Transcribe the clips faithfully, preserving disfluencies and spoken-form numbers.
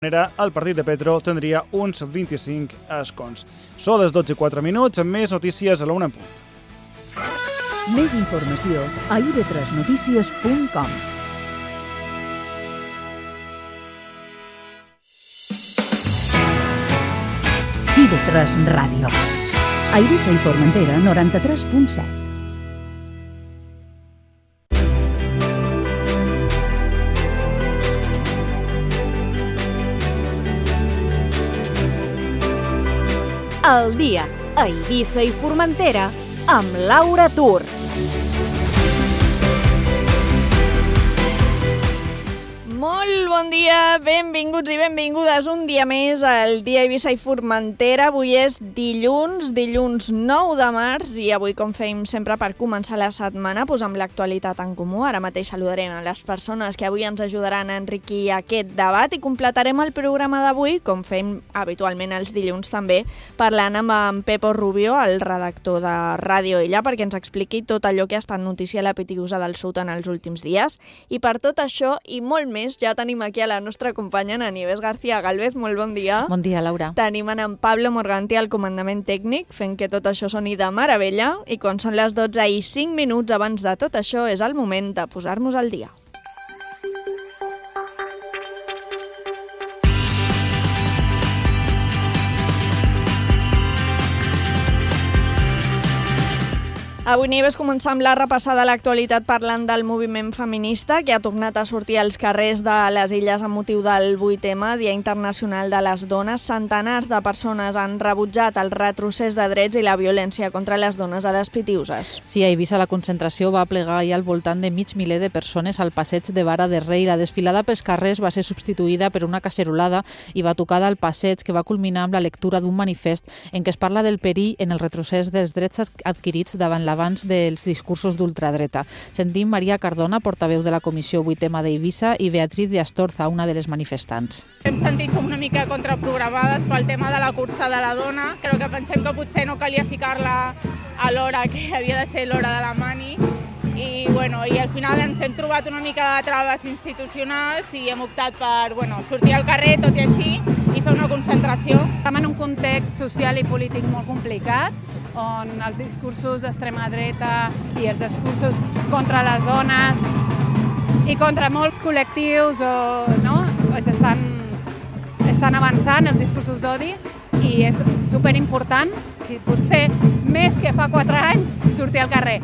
El partit de Petro tindria uns vint-i-cinc escons. Són les dotze i quatre minuts, amb més notícies a la una en punt. Més informació a i ve tres notícies punt com. i ve tres Ràdio. A Eivissa i Formentera, noranta-tres punt set. El dia a Eivissa i Formentera amb Laura Tur. Molt bon dia, benvinguts i benvingudes un dia més al dia Eivissa i Formentera. Avui és dilluns, dilluns nou de març i avui, com fem sempre per començar la setmana, posam l'actualitat en comú. Ara mateix saludarem a les persones que avui ens ajudaran a enriquir aquest debat i completarem el programa d'avui, com fem habitualment els dilluns també, parlant amb en Pepo Rubio, el redactor de Ràdio Illa, perquè ens expliqui tot allò que ha estat notícia a la Pitiusa del Sud en els últims dies. I per tot això i molt més, ja tenim aquí a la nostra companya, en Nieves García Galvez. Molt bon dia. Bon dia, Laura. Tenim en Pablo Morganti al comandament tècnic, fent que tot això soni de meravella. I quan són les dotze i cinc minuts abans de tot això, és el moment de posar-nos al dia. Avui, Nieves, començar amb la repassada de l'actualitat parlant del moviment feminista que ha tornat a sortir als carrers de les Illes amb motiu del vuit eme, Dia Internacional de les Dones. Centenars de persones han rebutjat el retrocés de drets i la violència contra les dones a les Pitiuses. Sí, a Eivissa la concentració va plegar ahir al voltant de mig miler de persones al passeig de Vara de Rei. La desfilada pels carrers va ser substituïda per una cacerolada i batucada al passeig que va culminar amb la lectura d'un manifest en què es parla del perill en el retrocés dels drets adquirits davant la abans dels discursos d'ultradreta. Sentim Maria Cardona, portaveu de la Comissió vuit eme d'Eivissa, i Beatriz de Astorza, una de les manifestants. Hem sentit com una mica contraprogramades pel tema de la cursa de la dona. Crec que pensem que potser no calia ficar-la a l'hora que havia de ser l'hora de la mani. I, bueno, i al final ens hem trobat una mica de traves institucionals i hem optat per bueno, sortir al carrer, tot i així, i fer una concentració. Estem en un context social i polític molt complicat, on els discursos d'extrema dreta i els discursos contra les dones i contra molts col·lectius o, no, estan, estan avançant els discursos d'odi i és superimportant, potser més que fa quatre anys, sortir al carrer.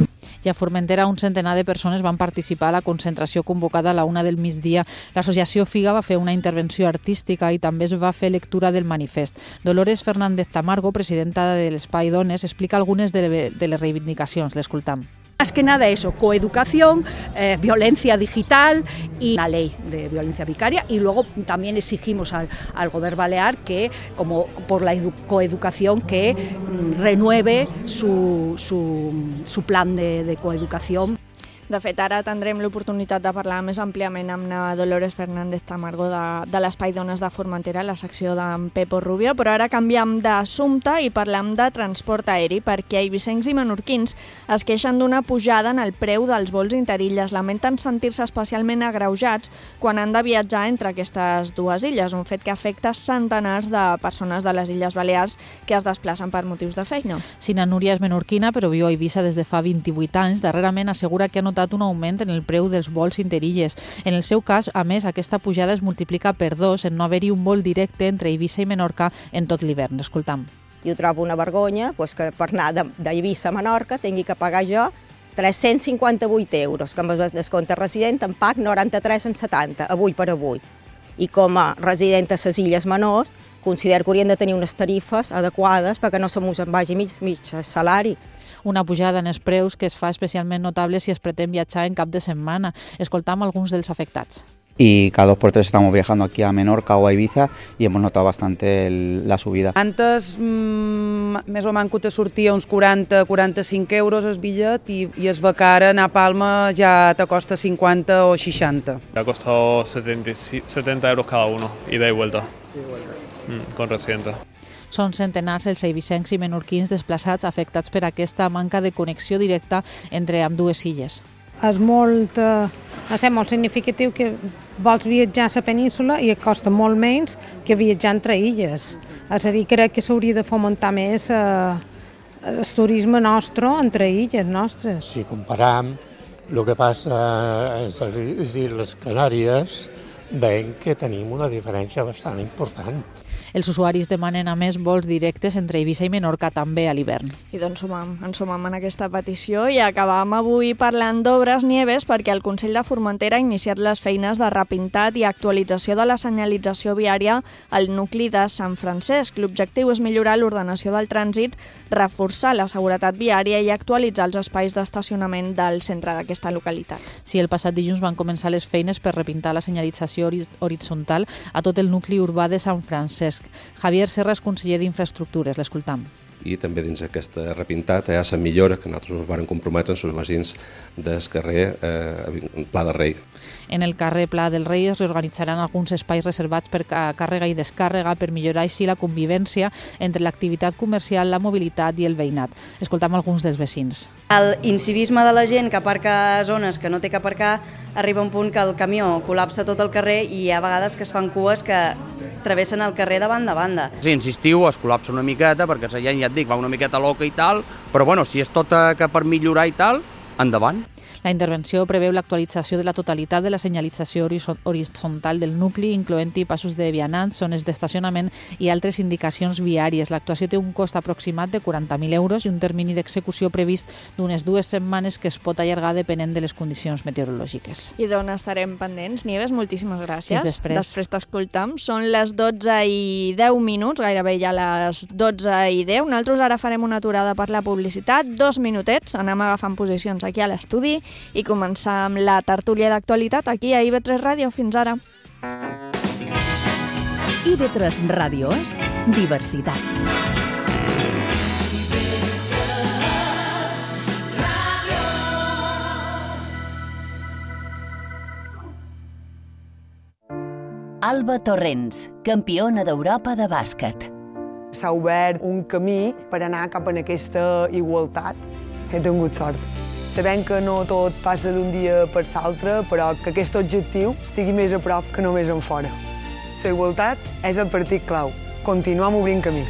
I a Formentera un centenar de persones van participar a la concentració convocada a la una del migdia. L'associació Figa va fer una intervenció artística i també es va fer lectura del manifest. Dolores Fernández Tamargo, presidenta de l'Espai Dones, explica algunes de les reivindicacions. L'escoltam. Más que nada eso, coeducación, eh, violencia digital y una ley de violencia vicaria, y luego también exigimos al, al Gobierno Balear que, como por la edu coeducación, que mm, renueve su, su, su plan de, de coeducación. De fet, ara tindrem l'oportunitat de parlar més àmpliament amb la Dolores Fernández Tamargo de, de l'Espai Dones de Formentera, la secció d'en Pepo Rubio, però ara canviem d'assumpte i parlem de transport aeri, perquè eivissencs i menorquins es queixen d'una pujada en el preu dels vols interilles. Lamenten sentir-se especialment agreujats quan han de viatjar entre aquestes dues illes, un fet que afecta centenars de persones de les Illes Balears que es desplacen per motius de feina. Sina Núria és menorquina, però viu a Eivissa des de fa vint-i-vuit anys. Darrerament assegura que ha notat un augment en el preu dels vols interilles. En el seu cas, a més, aquesta pujada es multiplica per dos en no haver-hi un vol directe entre Eivissa i Menorca en tot l'hivern. Escoltam. Jo trobo una vergonya pues, que per anar d'Eivissa a Menorca tingui que pagar jo tres-cents cinquanta-vuit euros, que amb el descompte resident em pag noranta-tres coma setanta, avui per avui. I com a resident a les Illes Menors, considero que haurien de tenir unes tarifes adequades perquè no se mos en vagi mig, mig salari. Una pujada en els preus que es fa especialment notable si es pretén viatjar en cap de setmana. Escoltam alguns dels afectats. Y cada dos por tres estamos viajando aquí a Menorca o a Ibiza y hemos notado bastante el, la subida. Antes, mmm, més o manco te sortia uns quaranta a quaranta-cinc euros el bitllet i, i es ve que ara anar a Palma ja te costa cinquanta o seixanta. Ha costado setenta euros cada uno, ida y vuelta, sí, vuelta. Mm, con residente. Són centenars els eivissencs i menorquins desplaçats afectats per aquesta manca de connexió directa entre ambdues illes. és molt, eh, no sé, molt significatiu que vols viatjar a la península i et costa molt menys que viatjar entre illes. És a dir, crec que s'hauria de fomentar més eh, el turisme nostre entre illes nostres. Si comparam el que passa a les Illes Canàries, veiem que tenim una diferència bastant important. Els usuaris demanen a més vols directes entre Eivissa i Menorca també a l'hivern. I doncs sumam, ens sumam en aquesta petició i acabam avui parlant d'obres Nieves perquè el Consell de Formentera ha iniciat les feines de repintat i actualització de la senyalització viària al nucli de Sant Francesc. L'objectiu és millorar l'ordenació del trànsit, reforçar la seguretat viària i actualitzar els espais d'estacionament del centre d'aquesta localitat. Sí, el passat dilluns van començar les feines per repintar la senyalització horitzontal a tot el nucli urbà de Sant Francesc. Javier Serra és conseller d'Infraestructures, l'escoltam. I també dins d'aquesta repintat hi ha la millora que nosaltres ens vam comprometre amb els veïns del carrer eh, Pla del Rei. En el carrer Pla del Rei es reorganitzaran alguns espais reservats per càrrega i descàrrega per millorar així la convivència entre l'activitat comercial, la mobilitat i el veïnat. Escoltam alguns dels veïns. El incivisme de la gent que aparca a zones que no té que aparcar arriba a un punt que el camió col·lapsa tot el carrer i hi ha vegades que es fan cues que travessen el carrer de banda a banda. Sí, insistiu, es col·lapsa una miqueta perquè la gent, ja et dic, va una miqueta loca i tal, però bueno, si és tot que per millorar i tal, endavant. La intervenció preveu l'actualització de la totalitat de la senyalització horitzontal del nucli, incloent-hi passos de vianants, zones d'estacionament i altres indicacions viàries. L'actuació té un cost aproximat de quaranta mil euros i un termini d'execució previst d'unes dues setmanes que es pot allargar depenent de les condicions meteorològiques. I d'on estarem pendents? Nieves, moltíssimes gràcies. Fins després. Després t'escoltam. Són les dotze i deu minuts, gairebé ja les dotze i deu. Nosaltres ara farem una aturada per la publicitat, dos minutets, anem agafant posicions aquí a l'estudi i començar amb la tertúlia d'actualitat aquí a I V tres Ràdio. Fins ara. I V tres Ràdio és diversitat. Alba Torrents, campiona d'Europa de bàsquet. S'ha obert un camí per anar cap a aquesta igualtat. He tingut sort. Sabem que no tot passa d'un dia per l'altre, però que aquest objectiu estigui més a prop que només en fora. La igualtat és el partit clau. Continuem obrint camí.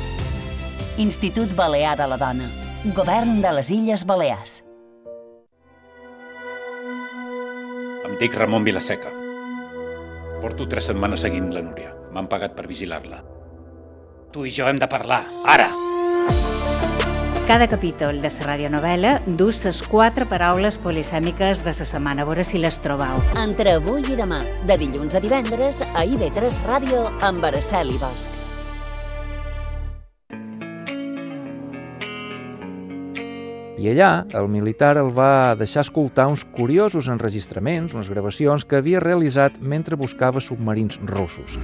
Institut Balear de la Dona. Govern de les Illes Balears. Em dic Ramon Vilaseca. Porto tres setmanes seguint la Núria. M'han pagat per vigilar-la. Tu i jo hem de parlar, ara! Cada capítol de la radionovel·la du les quatre paraules polisèmiques de la setmana. A veure si les trobeu. Entre avui i demà, de dilluns a divendres, a I V tres Ràdio amb Araceli Bosch. I allà, el militar el va deixar escoltar uns curiosos enregistraments, unes gravacions que havia realitzat mentre buscava submarins russos.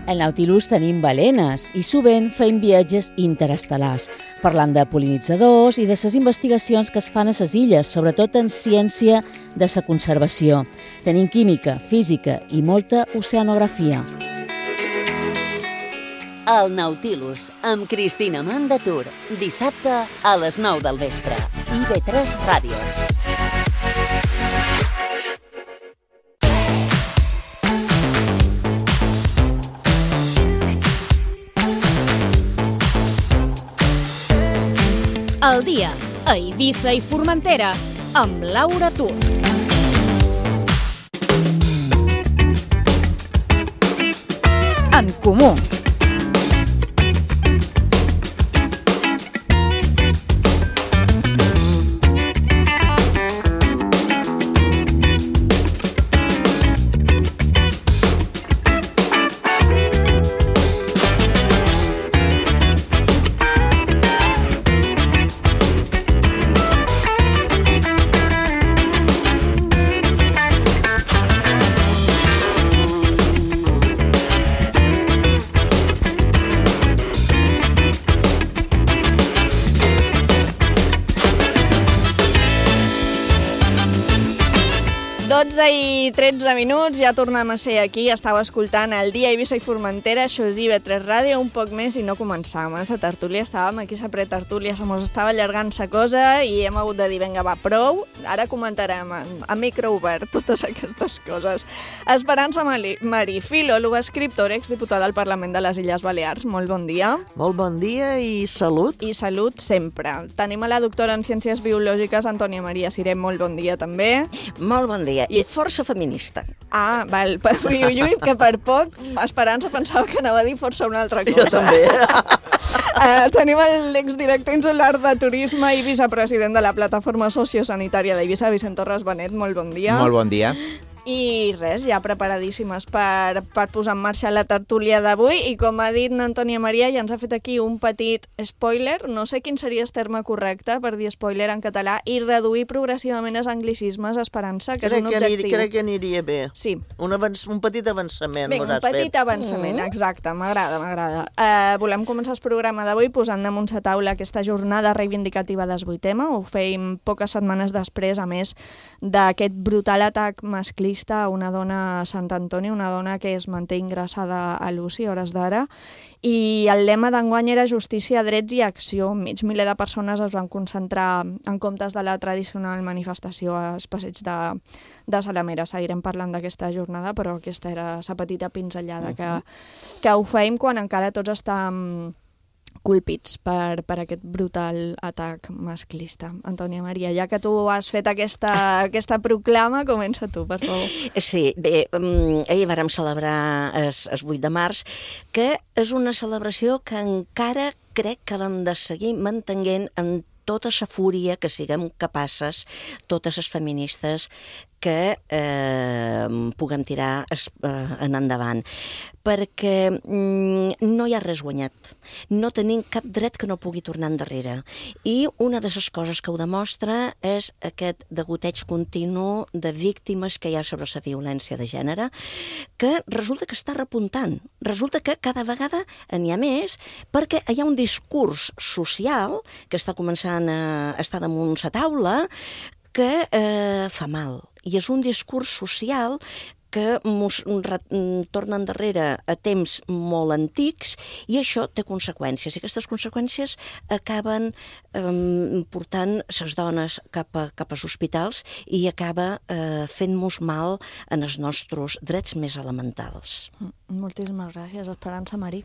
Al Nautilus tenim balenes i sovint fem viatges interestel·lars, parlant de pol·linitzadors i de les investigacions que es fan a les illes, sobretot en ciència de la conservació. Tenim química, física i molta oceanografia. El Nautilus, amb Cristina Mandatur, dissabte a les nou del vespre. I V tres Ràdio. El dia a Eivissa i Formentera amb Laura Tut. En comú. tretze minuts, ja tornem a ser aquí. Estava escoltant el dia Eivissa i Formentera, això és I B tres Ràdio, un poc més i no començàvem. A la tertúlia estàvem aquí, a pretertúlia, se mos estava allargant la cosa i hem hagut de dir, vinga, va, prou. Ara comentarem a micro obert totes aquestes coses. Esperança Marí, filòloga, escriptora, exdiputada al Parlament de les Illes Balears. Molt bon dia. Molt bon dia i salut. I salut sempre. Tenim a la doctora en Ciències Biològiques, Antònia Maria Siré. Molt bon dia, també. Molt bon dia. I força feminista. Ah, val. Ui, ui, ui, que per poc Esperança pensava que anava a dir força una altra cosa. Jo també. uh, tenim l'exdirector insular de turisme i vicepresident de la plataforma sociosanitària d'Eivissa, Vicent Torres Benet. Molt bon dia. Molt bon dia. I res, ja preparadíssimes per, per posar en marxa la tertúlia d'avui i com ha dit n'Antònia Maria ja ens ha fet aquí un petit spoiler, no sé quin seria el terme correcte per dir spoiler en català, i reduir progressivament els anglicismes, Esperança, que crec és un objectiu. Que crec que aniria bé. Sí. Un, avanç, un petit avançament. Bé, un petit fet. avançament, mm. exacte, m'agrada, m'agrada. Uh, volem començar el programa d'avui posant damunt la taula aquesta jornada reivindicativa del vuit ema, ho feim poques setmanes després, a més d'aquest brutal atac masclista a una dona a Sant Antoni, una dona que es manté ingressada a l'U C I a hores d'ara, i el lema d'enguany era justícia, drets i acció. Mig miler de persones es van concentrar en comptes de la tradicional manifestació als passeig de, de Salamera. Seguirem parlant d'aquesta jornada, però aquesta era la petita pinzellada que, que ho feim quan encara tots estem colpits per, per aquest brutal atac masclista. Antònia Maria, ja que tu has fet aquesta, aquesta proclama, comença tu, per favor. Sí, bé, um, ahir vàrem celebrar el, el vuit de març, que és una celebració que encara crec que l'hem de seguir mantenint en tota la fúria que siguem capaces, totes les feministes, que eh, puguem tirar es, eh, en endavant. Perquè mm, no hi ha res guanyat. No tenim cap dret que no pugui tornar endarrere. I una de les coses que ho demostra és aquest degoteig continu de víctimes que hi ha sobre la violència de gènere, que resulta que està repuntant. Resulta que cada vegada n'hi ha més, perquè hi ha un discurs social que està començant a estar damunt la taula que eh, fa mal. I és un discurs social que ens torna endarrere a temps molt antics i això té conseqüències. I aquestes conseqüències acaben eh, portant les dones cap, a, cap als hospitals i acaba eh, fent-nos mal en els nostres drets més elementals. Moltíssimes gràcies, Esperança Marí.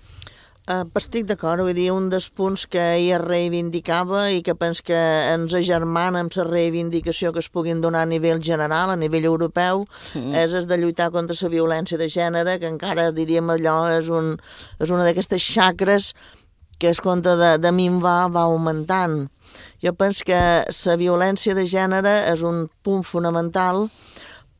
Uh, estic d'acord, vull dir, un dels punts que ella reivindicava i que penso que ens agermana amb la reivindicació que es puguin donar a nivell general, a nivell europeu, mm. és el de lluitar contra la violència de gènere, que encara diríem allò és, un, és una d'aquestes xacres que es compte de, de minvar va augmentant. Jo penso que la violència de gènere és un punt fonamental,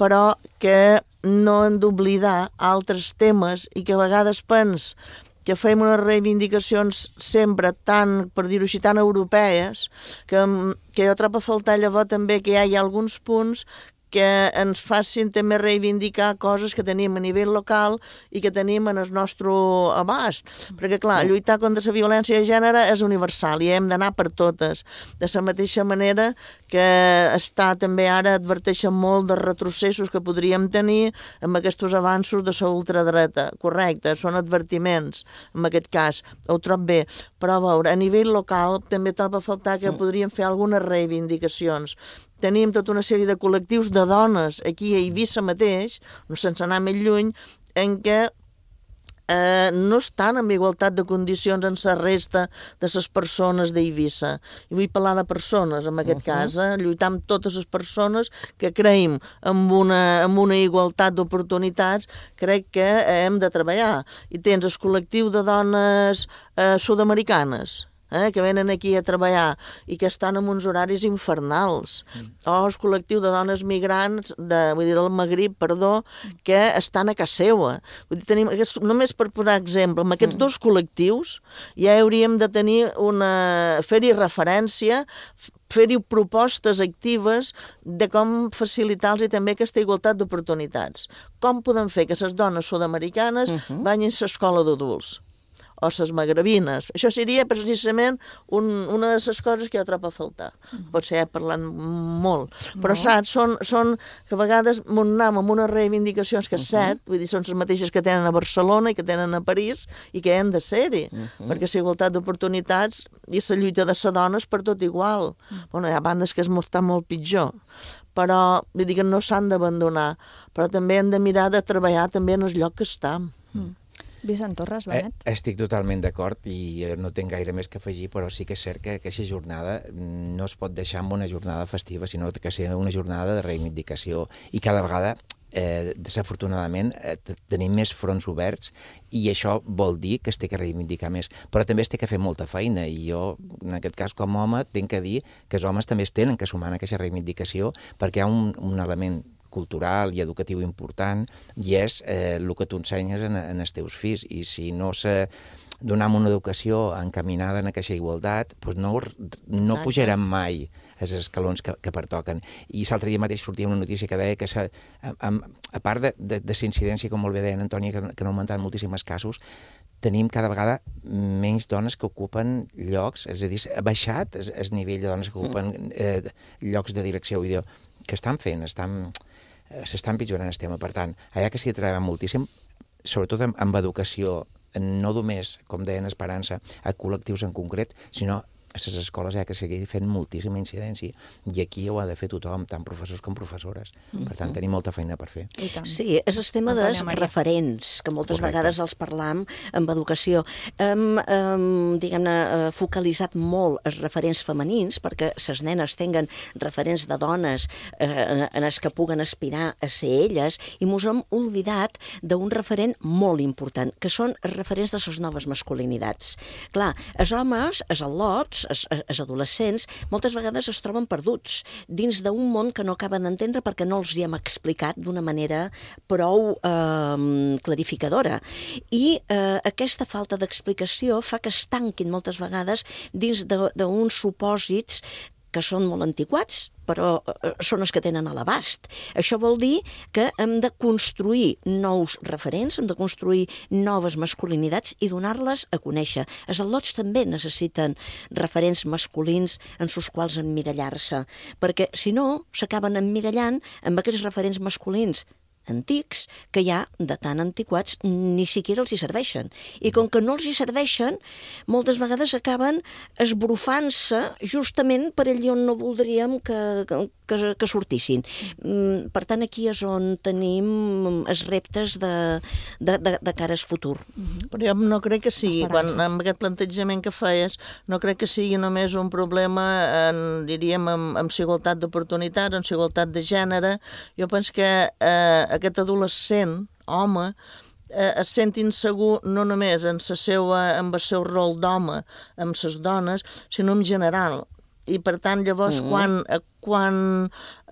però que no hem d'oblidar altres temes i que a vegades penso que fem unes reivindicacions sempre tan, per dir-ho així, tan europees, que, que jo trobo a faltar llavors també que hi hagi alguns punts que ens facin també reivindicar coses que tenim a nivell local i que tenim en el nostre abast. Perquè, clar, lluitar contra la violència de gènere és universal i hem d'anar per totes. De la mateixa manera que està també ara adverteixen molt dels retrocessos que podríem tenir amb aquests avanços de la ultradreta. Correcte, són advertiments en aquest cas. Ho trobo bé. Però, a veure, a nivell local també trobo a faltar que podríem fer algunes reivindicacions. Tenim tota una sèrie de col·lectius de dones aquí a Eivissa mateix, no sense anar més lluny, en què eh, no estan en igualtat de condicions en la resta de les persones d'Eivissa. I vull parlar de persones, en aquest uh -huh. cas, eh, lluitar amb totes les persones que creiem en una, en una igualtat d'oportunitats, crec que eh, hem de treballar. I tens el col·lectiu de dones eh, sud-americanes, Eh, que venen aquí a treballar i que estan en uns horaris infernals. Mm. O el col·lectiu de dones migrants, de, vull dir, del Magrib, perdó, que estan a casa seva. Vull dir, tenim aquest, només per posar exemple, amb aquests mm. dos col·lectius ja hauríem de tenir una... fer-hi referència, fer-hi propostes actives de com facilitar-los també aquesta igualtat d'oportunitats. Com podem fer que les dones sud-americanes uh-huh. vagin a l'escola d'adults? o les magrebines. Això seria precisament un, una de les coses que jo trobo a faltar. Potser he parlat molt, però no. saps, són, són que a vegades anem amb unes reivindicacions que és cert, vull dir, són les mateixes que tenen a Barcelona i que tenen a París i que han de ser-hi, uh-huh. perquè la igualtat d'oportunitats i la lluita de les dones per tot igual. Uh-huh. Bueno, hi ha bandes que està molt pitjor, però vull dir que no s'han d'abandonar, però també hem de mirar de treballar també en el lloc que estem. Mm. Vicent Torres, Benet? Eh, estic totalment d'acord i no tinc gaire més que afegir, però sí que és cert que aquesta jornada no es pot deixar amb una jornada festiva, sinó que sigui una jornada de reivindicació. I cada vegada, eh, desafortunadament, eh, tenim més fronts oberts i això vol dir que es té que reivindicar més. Però també es té que fer molta feina i jo, en aquest cas, com a home, tinc que dir que els homes també es tenen que sumar en aquesta reivindicació perquè hi ha un, un element cultural i educatiu important i és eh, el que tu ensenyes en, en els teus fills i si no se donem una educació encaminada en aquesta igualtat doncs no, no pujarem mai els escalons que, que pertoquen. I l'altre dia mateix sortia una notícia que deia que a, a, a part de, de, de incidència, com molt bé deia Antònia, que, que han augmentat moltíssims casos, tenim cada vegada menys dones que ocupen llocs, és a dir, ha baixat el, el nivell de dones que ocupen eh, llocs de direcció. Vull dir, que estan fent, estan... s'està empitjorant el tema. Per tant, allà que s'hi treballa moltíssim, sobretot amb, amb educació, no només, com deien Esperança, a col·lectius en concret, sinó a les escoles hi ha que seguir fent moltíssima incidència i aquí ho ha de fer tothom, tant professors com professores. Mm-hmm. Per tant, tenim molta feina per fer. Sí, és el tema dels referents, que moltes Correcte. Vegades els parlam amb educació. Hem, hem diguem-ne, focalitzat molt els referents femenins perquè les nenes tinguen referents de dones eh, en els que puguen aspirar a ser elles i mos hem oblidat d'un referent molt important, que són els referents de les noves masculinitats. Clar, els homes, els al·lots, Els, els adolescents moltes vegades es troben perduts dins d'un món que no acaben d'entendre perquè no els hi hem explicat d'una manera prou eh, clarificadora. I eh, aquesta falta d'explicació fa que es tanquin moltes vegades dins d'uns supòsits que són molt antiquats, però són els que tenen a l'abast. Això vol dir que hem de construir nous referents, hem de construir noves masculinitats i donar-les a conèixer. Els al·lots també necessiten referents masculins en els quals emmirallar-se, perquè si no s'acaben emmirallant amb aquests referents masculins antics, que ja de tan antiquats ni siquiera els hi serveixen. I com que no els hi serveixen, moltes vegades acaben esbrufant-se justament per allà on no voldríem que, que, que sortissin. Per tant, aquí és on tenim els reptes de, de, de, de cara al futur. Però jo no crec que sigui, quan, amb aquest plantejament que feies, no crec que sigui només un problema, en, diríem, amb, amb igualtat d'oportunitats, amb igualtat de gènere. Jo penso que eh, aquest adolescent, home, eh, es sent insegur no només en, la seva, en el seu rol d'home amb les dones, sinó en general. I per tant, llavors, mm. quan, quan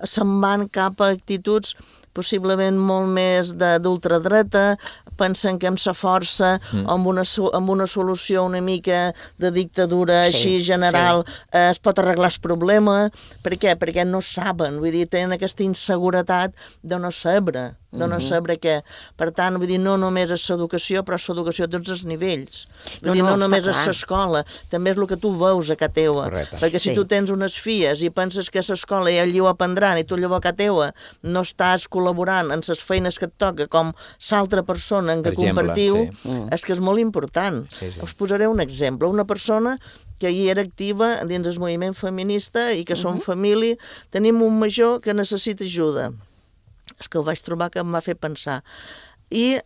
se'n van cap a actituds possiblement molt més d'ultradreta, pensen que amb sa força mm. o amb una, amb una solució una mica de dictadura sí, així general sí. eh, es pot arreglar el problema. Per què? Perquè no saben, vull dir, tenen aquesta inseguretat de no saber, de no saber què. Per tant, vull dir, no només és l'educació, però és l'educació a tots els nivells. Vull no, dir, no, no només és l'escola, també és el que tu veus a casa teua. Correcte. Perquè si sí. tu tens unes filles i penses que a l'escola ja allí ho aprendran i tu allò a casa teua no estàs col·laborant en les feines que et toca com l'altra persona en què per exemple, compartiu, sí. és que és molt important. Sí, sí. Us posaré un exemple. Una persona que hi era activa dins el moviment feminista i que uh-huh. som família, tenim un major que necessita ajuda. És que ho vaig trobar que em va fer pensar. I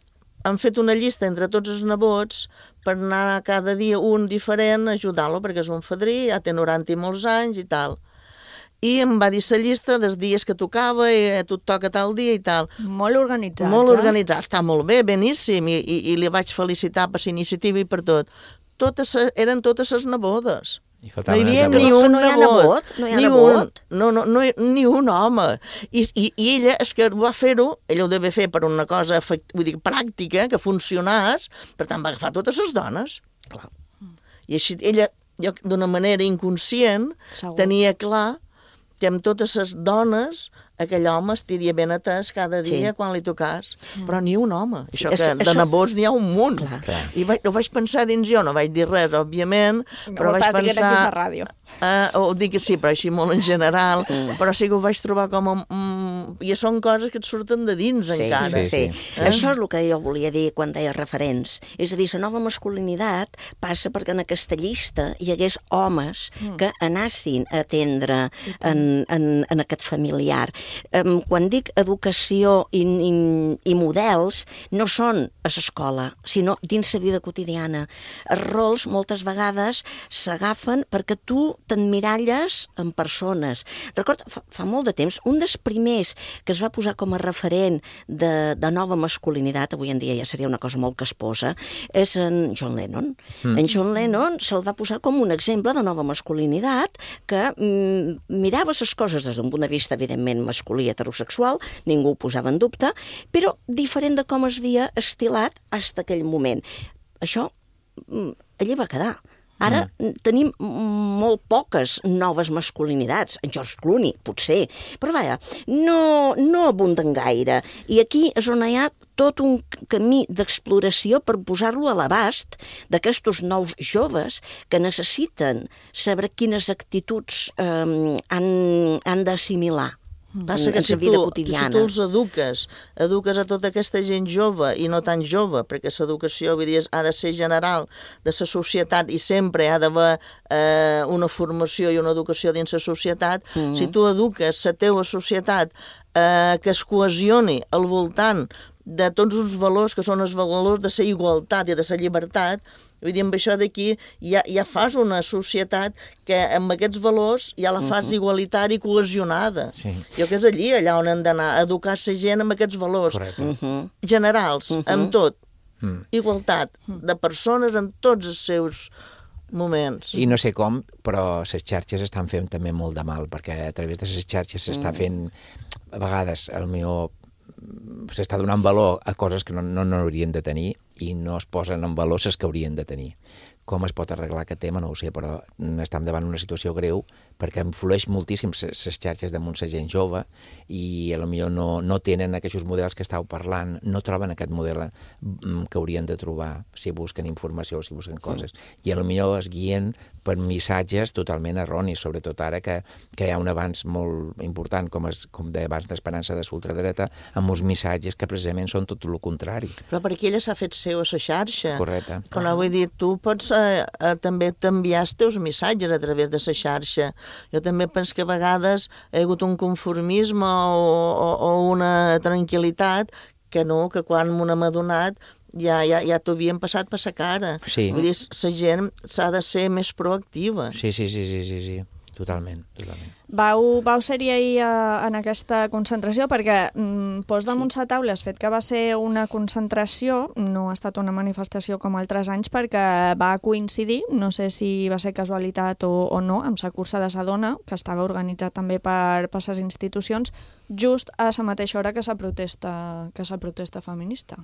han fet una llista entre tots els nebots per anar cada dia un diferent a ajudar-lo, perquè és un fadrí, ja té noranta i molts anys i tal. I em va dir la llista dels dies que tocava, i tu et toca tal dia i tal. Molt organitzats, Molt eh? organitzats, està molt bé, beníssim, i, i, i li vaig felicitar per la iniciativa i per tot. Totes, eren totes les nebodes. No hi havia ni un nebot, no hi ha nebot, no, no, no, ni un home. I, i, i ella, és que va fer-ho, ella ho devia fer per una cosa vull dir, pràctica, que funcionés, per tant va agafar totes les dones. Clar. I així ella, d'una manera inconscient, Segur. tenia clar que amb totes les dones aquell home estiria ben atès cada dia Sí. quan li tocàs, però ni un home. Sí, Això és- que de això- nebots n'hi ha un munt. Clar. I vaig, ho vaig pensar dins jo, no vaig dir res, òbviament, però Ho vaig estàs dient aquí a la pensar... ràdio. Uh, ho dic que sí, però així molt en general, Mm. però sí que ho vaig trobar com a... Mm, I són coses que et surten de dins, Sí, encara. sí, sí. Eh? Això és el que jo volia dir quan deia referents. És a dir, la nova masculinitat passa perquè en aquesta llista hi hagués homes Mm. que anessin a atendre en, en, en aquest familiar. Um, quan dic educació i, i, i models, no són a l'escola, sinó dins la vida quotidiana. Els rols moltes vegades s'agafen perquè tu t'emmiralles en persones. Recordo, fa, fa molt de temps, un dels primers que es va posar com a referent de, de nova masculinitat, avui en dia ja seria una cosa molt casposa, és en John Lennon. Mm. En John Lennon se'l va posar com un exemple de nova masculinitat que mm, mirava les coses des d'un punt de vista, evidentment, masculí heterosexual, ningú ho posava en dubte, però diferent de com es havia estilat fins aquell moment. Això mm, allí va quedar. Ara mm. tenim molt poques noves masculinitats. En George Clooney, potser. Però vaja, no, no abunden gaire. I aquí és on hi ha tot un camí d'exploració per posar-lo a l'abast d'aquestos nous joves que necessiten saber quines actituds eh, han, han d'assimilar. Passa que en si la vida tu, quotidiana. si tu els eduques, eduques a tota aquesta gent jove i no tan jove, perquè l'educació vull dir, ha de ser general de la societat i sempre ha d'haver eh, una formació i una educació dins la societat, Mhm. si tu eduques la teva societat eh, que es cohesioni al voltant de tots uns valors que són els valors de la igualtat i de la llibertat, vull dir, amb això d'aquí ja, ja fas una societat que amb aquests valors ja la fas Mhm. igualitària i cohesionada. Sí. Jo que és allí, allà on hem d'anar, a educar la gent amb aquests valors Correcte. generals, Mhm. amb tot. Mm. Igualtat de persones en tots els seus moments. I no sé com, però les xarxes estan fent també molt de mal, perquè a través de les xarxes s'està Mm. fent, a vegades, el millor s'està donant valor a coses que no, no, no haurien de tenir i no es posen en valor les que haurien de tenir. Com es pot arreglar aquest tema, no ho sé, però estem davant una situació greu perquè influeix moltíssim les xarxes damunt la gent jove i potser no, no tenen aquests models que estàu parlant, no troben aquest model que haurien de trobar si busquen informació o si busquen coses. I potser es guien per missatges totalment erronis, sobretot ara que, que hi ha un avanç molt important, com, es, com deia abans d'esperança de l'ultradreta, amb uns missatges que precisament són tot el contrari. Però perquè ella s'ha fet seu a la xarxa. Correcte. Com vull dir, tu pots eh, eh, també t'enviar els teus missatges a través de la xarxa. Jo també penso que a vegades hi ha hagut un conformisme o, o, o una tranquil·litat que no, que quan m'ho hem adonat ja, ja, ja t'ho havien passat per la cara. Sí. Vull dir, la gent s'ha de ser més proactiva. Sí, sí, sí, sí, sí, sí. Totalment, totalment. Vau, vau ser-hi ahir a, en aquesta concentració perquè mm, pos damunt sí. la taula el fet que va ser una concentració, no ha estat una manifestació com altres anys perquè va coincidir, no sé si va ser casualitat o, o no, amb la cursa de sa dona, que estava organitzat també per, per les institucions, just a la mateixa hora que la protesta, que la protesta feminista.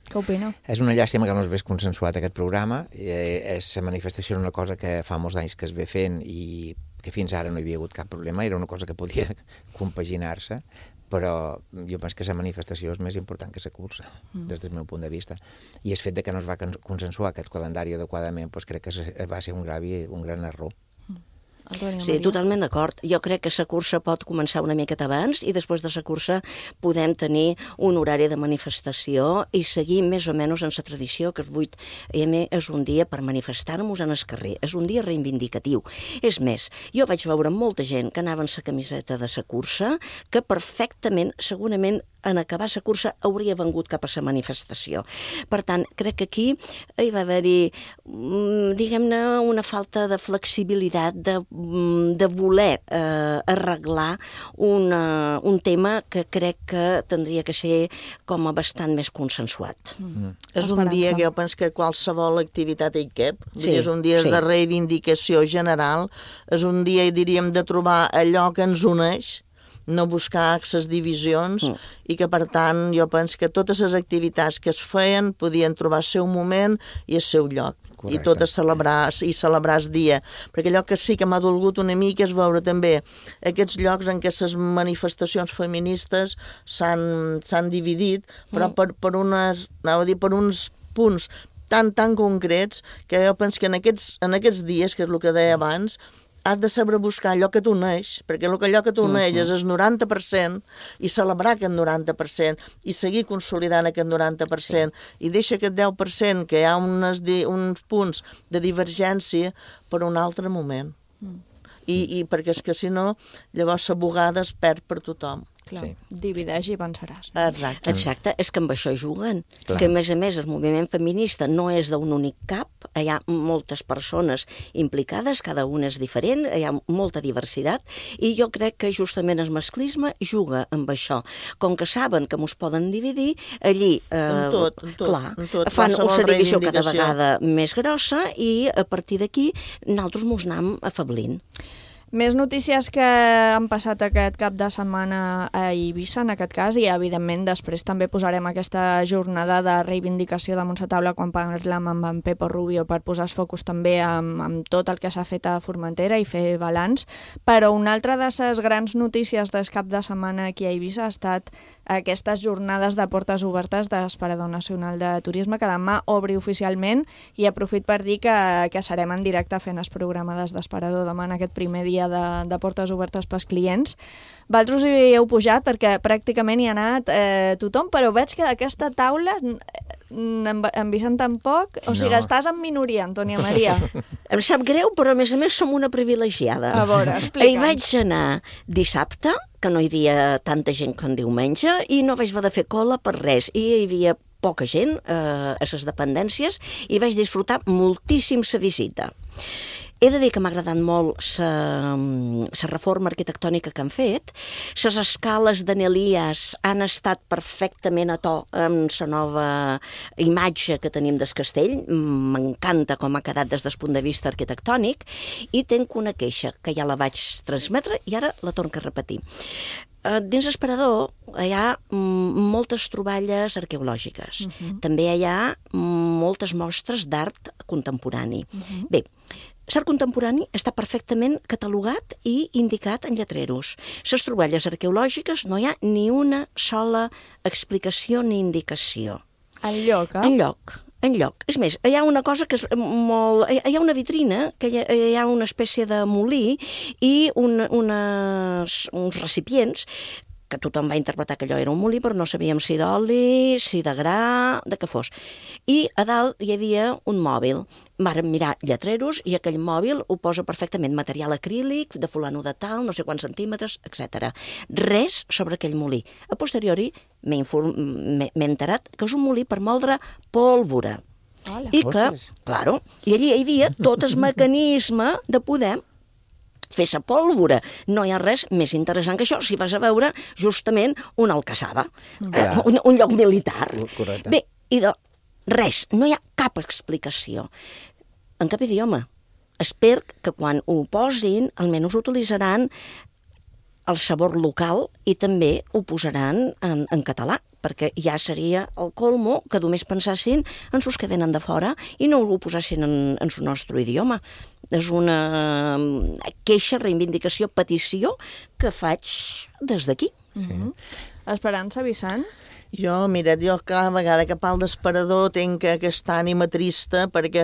Què opina? És una llàstima que no es hagués consensuat aquest programa. Eh, és, la manifestació era una cosa que fa molts anys que es ve fent i que fins ara no hi havia hagut cap problema, era una cosa que podia compaginar-se, però jo penso que la manifestació és més important que la cursa, mm. des del meu punt de vista. I el fet de que no es va consensuar aquest calendari adequadament, doncs crec que va ser un, gravi, un gran error. Sí, totalment d'acord. Jo crec que la cursa pot començar una miqueta abans i després de la cursa podem tenir un horari de manifestació i seguir més o menys en la tradició que el vuit eme és un dia per manifestar-nos en el carrer. És un dia reivindicatiu. És més, jo vaig veure molta gent que anava en la camiseta de la cursa que perfectament, segurament, en acabar la cursa hauria vengut cap a la manifestació. Per tant, crec que aquí hi va haver-hi, diguem-ne, una falta de flexibilitat, de, de voler eh, arreglar una, un tema que crec que tindria que ser com a bastant més consensuat. Mm. És un dia que jo penso que qualsevol activitat hi cap, Sí, és un dia sí. de reivindicació general, és un dia, diríem, de trobar allò que ens uneix, no buscar aquestes divisions mm. i que, per tant, jo penso que totes les activitats que es feien podien trobar el seu moment i el seu lloc. Correcte. I tot a celebrar, i celebrar el dia. Perquè allò que sí que m'ha dolgut una mica és veure també aquests llocs en què les manifestacions feministes s'han dividit, però mm. per, per, unes, anava a dir, per uns punts tan, tan concrets que jo penso que en aquests, en aquests dies, que és el que deia abans, has de saber buscar allò que t'uneix, perquè allò que t'uneix és el noranta per cent i celebrar aquest noranta per cent i seguir consolidant aquest noranta per cent sí. I deixa aquest deu per cent que hi ha unes, uns punts de divergència per un altre moment. Mm. I, i perquè és que si no, llavors la bugada es perd per tothom. Clar, sí. Divideix i venceràs. Exacte. Exacte, és que amb això juguen. Clar. Que a més a més el moviment feminista no és d'un únic cap, hi ha moltes persones implicades, cada una és diferent, hi ha molta diversitat, i jo crec que justament el masclisme juga amb això. Com que saben que mos poden dividir, allí eh, en tot, en tot, clar, en tot, fan una divisió cada vegada més grossa i a partir d'aquí nosaltres mos anem afablint. Més notícies que han passat aquest cap de setmana a Eivissa, en aquest cas, i evidentment després també posarem aquesta jornada de reivindicació damunt la taula quan parlem amb en Pepo Rubio per posar els focus també amb, amb tot el que s'ha fet a Formentera i fer balanç. Però una altra de les grans notícies del cap de setmana aquí a Eivissa ha estat aquestes jornades de portes obertes de l'Esperador Nacional de Turisme, que demà obri oficialment, i aprofit per dir que, que serem en directe fent el programa des d'Esperador demà en aquest primer dia de, de portes obertes pels clients. Vosaltres hi heu pujat perquè pràcticament hi ha anat eh, tothom, però veig que d'aquesta taula en, en Vicent tampoc, o sigui, no. Estàs en minoria, Antònia Maria. Em sap greu, però a més a més som una privilegiada. A veure, explica'ns. Hi vaig anar dissabte, que no hi havia tanta gent com diumenge, i no vaig haver de fer cola per res, i hi havia poca gent eh, a les dependències, i vaig disfrutar moltíssim la visita. He de dir que m'ha agradat molt la reforma arquitectònica que han fet. Les escales d'Anelies han estat perfectament a to amb la nova imatge que tenim del castell. M'encanta com ha quedat des del punt de vista arquitectònic, i tenc una queixa que ja la vaig transmetre i ara la torno a repetir. Dins l'Esperador hi ha moltes troballes arqueològiques. Uh-huh. També hi ha moltes mostres d'art contemporani. Uh-huh. Bé, l'art contemporani està perfectament catalogat i indicat en lletreros. Les troballes arqueològiques no hi ha ni una sola explicació ni indicació. Enlloc, eh? Enlloc. Enlloc. És més, hi ha una cosa que és molt... Hi ha una vitrina, que hi ha, hi ha una espècie de molí i un, unes, uns recipients que tothom va interpretar que allò era un molí, però no sabíem si d'oli, si de gra, de què fos. I a dalt hi havia un mòbil. Vàrem mirar lletreros i aquell mòbil ho posa perfectament, material acrílic, de fulano de tal, no sé quants centímetres, etcètera. Res sobre aquell molí. A posteriori m'he enterat que és un molí per moldre pólvora. Hola. I que, claro, i allí hi havia tot el mecanisme de poder fer sa pólvora. No hi ha res més interessant que això si vas a veure justament una alcassaba, eh, un, un lloc militar. Correcte. Bé, i de res, no hi ha cap explicació. En cap idioma. Espero que quan ho posin, almenys utilitzaran el sabor local i també ho posaran en, en català, perquè ja seria el colmo que només pensassin en sus que venen de fora i no ho posassin en, en el nostre idioma. És una queixa, reivindicació, petició que faig des d'aquí. Sí. Mm-hmm. Esperança, Vicent? Jo, mira, jo cada vegada que parlo d'Esperador tinc aquesta ànima trista perquè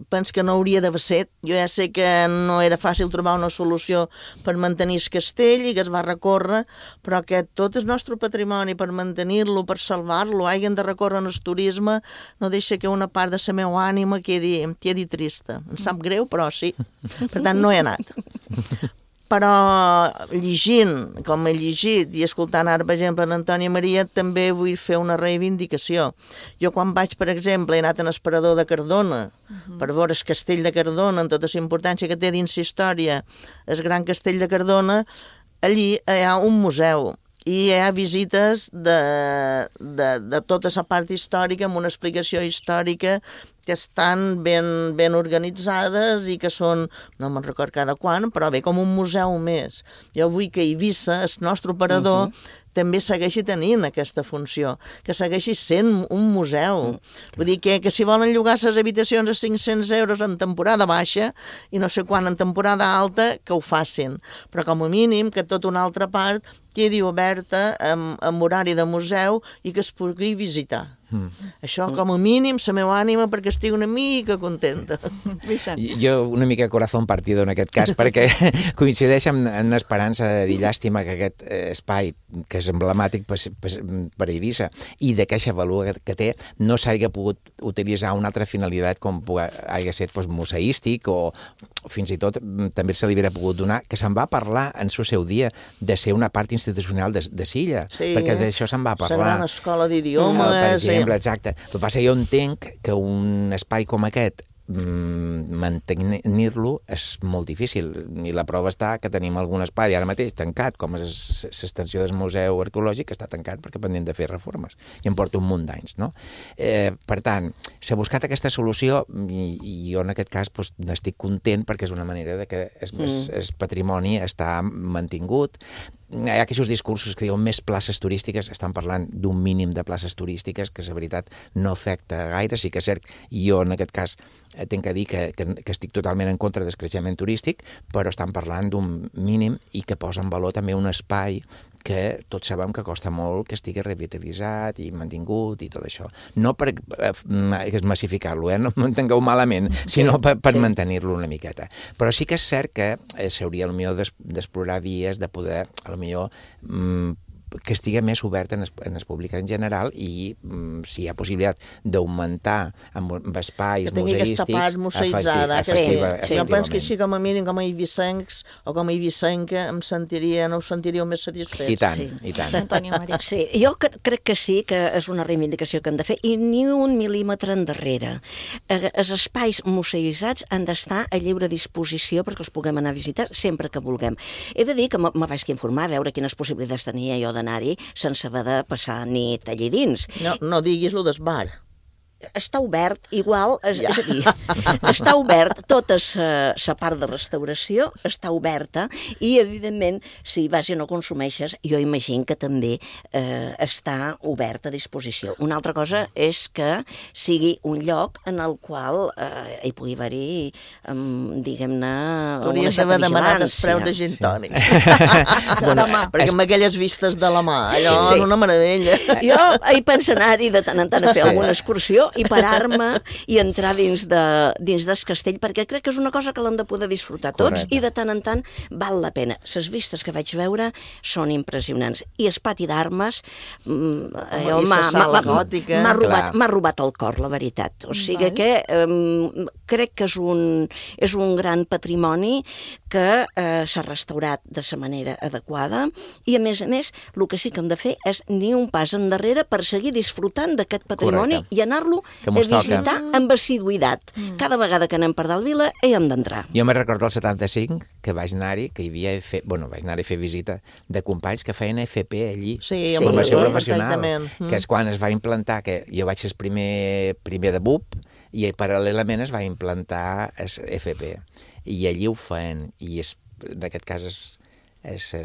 penso que no hauria d'haver set. Jo ja sé que no era fàcil trobar una solució per mantenir el castell i que es va recórrer, però que tot el nostre patrimoni, per mantenir-lo, per salvar-lo, hagin de recórrer en el turisme, no deixa que una part de la meva ànima quedi, quedi trista. Em sap greu, però sí. Per tant, no he anat. Però llegint, com he llegit, i escoltant ara, per exemple, l'Antònia Maria, també vull fer una reivindicació. Jo quan vaig, per exemple, he anat a l'Esperador de Cardona, uh-huh. per veure el castell de Cardona, amb tota la importància que té dins la història, el gran castell de Cardona, allí hi ha un museu. i hi ha visites de, de, de tota la part històrica amb una explicació històrica que estan ben, ben organitzades i que són, no me'n record cada quan, però bé, com un museu més. Jo vull que Eivissa, el nostre operador, uh-huh. també segueixi tenint aquesta funció, que segueixi sent un museu. Mm. Vull dir que, que si volen llogar les habitacions a cinc-cents euros en temporada baixa i no sé quan en temporada alta, que ho facin. Però com a mínim que tota una altra part quedi oberta amb, amb horari de museu i que es pugui visitar. Mm. Això, com a mínim, la meva ànima perquè estigui una mica contenta. Jo una mica corazón partido en aquest cas, perquè coincideix amb, amb l'esperança de dir llàstima que aquest espai, que és emblemàtic per, per, per Eivissa, i d'aquesta valor que, que té, no s'hagi pogut utilitzar una altra finalitat com hagi estat pues, museístic o fins i tot també se li hauria pogut donar, que se'n va parlar en el seu dia de ser una part institucional de, de Silla, sí, perquè d'això se'n va parlar. La gran escola d'idiomes. Per exemple, exacte. El que passa que jo entenc que un espai com aquest mantenir-lo és molt difícil i la prova està que tenim algun espai ara mateix tancat, com és l'extensió del Museu Arqueològic, que està tancat perquè pendent de fer reformes i em porta un munt d'anys, no? Eh, per tant, s'ha buscat aquesta solució i, i jo en aquest cas pues, n'estic content perquè és una manera de que el mm. patrimoni està mantingut. Hi ha aquests discursos que diuen més places turístiques, estan parlant d'un mínim de places turístiques, que la veritat no afecta gaire, sí que és cert, i jo en aquest cas tinc que dir que, que, que estic totalment en contra del creixement turístic, però estan parlant d'un mínim i que posa en valor també un espai que tots sabem que costa molt que estigui revitalitzat i mantingut i tot això. No per eh, massificar-lo, eh? No m'entengueu malament, sinó per, per sí. mantenir-lo una miqueta. Però sí que és cert que eh, s'hauria potser d'explorar vies de poder, potser, mm, que estigui més obert en el, en el públic en general i mm, si hi ha possibilitat d'augmentar amb, amb espais que tingui museístics... aquesta part museïtzada. Efecti, sí, efectiva, sí. Jo penso que així com a mínim, com a eivissencs o com a eivissenca, em sentiria, no us sentiríeu més satisfets. I tant, sí. i tant. Antònia Maria. Sí, jo cre crec que sí, que és una reivindicació que han de fer, i ni un mil·límetre endarrere. Eh, els espais museïtzats han d'estar a lliure disposició perquè els puguem anar a visitar sempre que vulguem. He de dir que me vaig informar, a veure quines possibilitats tenia jo d'anar-hi sense haver de passar nit allí dins. No, no diguis-lo del bar. Està obert, igual, és, ja. és a dir, està obert, tota la part de restauració està oberta i, evidentment, si vas i no consumeixes, jo imagino que també eh, està obert a disposició. Una altra cosa és que sigui un lloc en el qual eh, hi pugui haver-hi, eh, diguem-ne, una certa vigilància. Hauries d'haver demanat els preus de gin tònics. Sí. de demà, perquè amb aquelles vistes de la mà, allò sí. és una meravella. Jo hi penso anar-hi de tant en tant a fer sí. alguna excursió i parar-me i entrar dins, de, dins del castell, perquè crec que és una cosa que l'hem de poder disfrutar tots. Correcte. I de tant en tant val la pena. Les vistes que vaig veure són impressionants. I el pati d'armes m'ha robat, robat el cor, la veritat. O sigui Val. que um, crec que és un, és un gran patrimoni que eh, s'ha restaurat de la manera adequada i, a més a més, el que sí que hem de fer és ni un pas endarrere per seguir disfrutant d'aquest patrimoni Correcte. i anar-lo a visitar amb assiduïtat. Mm. Cada vegada que anem per dalt vila hi hem d'entrar. Jo me recordo el setanta-cinc que vaig anar-hi, que hi havia fe... bueno, vaig anar-hi a fer visita de companys que feien F P allí, sí, formació sí, professional, mm. que és quan es va implantar, que jo vaig ser el primer, primer de B U P i paral·lelament es va implantar F P i allí ho feien i és, en aquest cas és és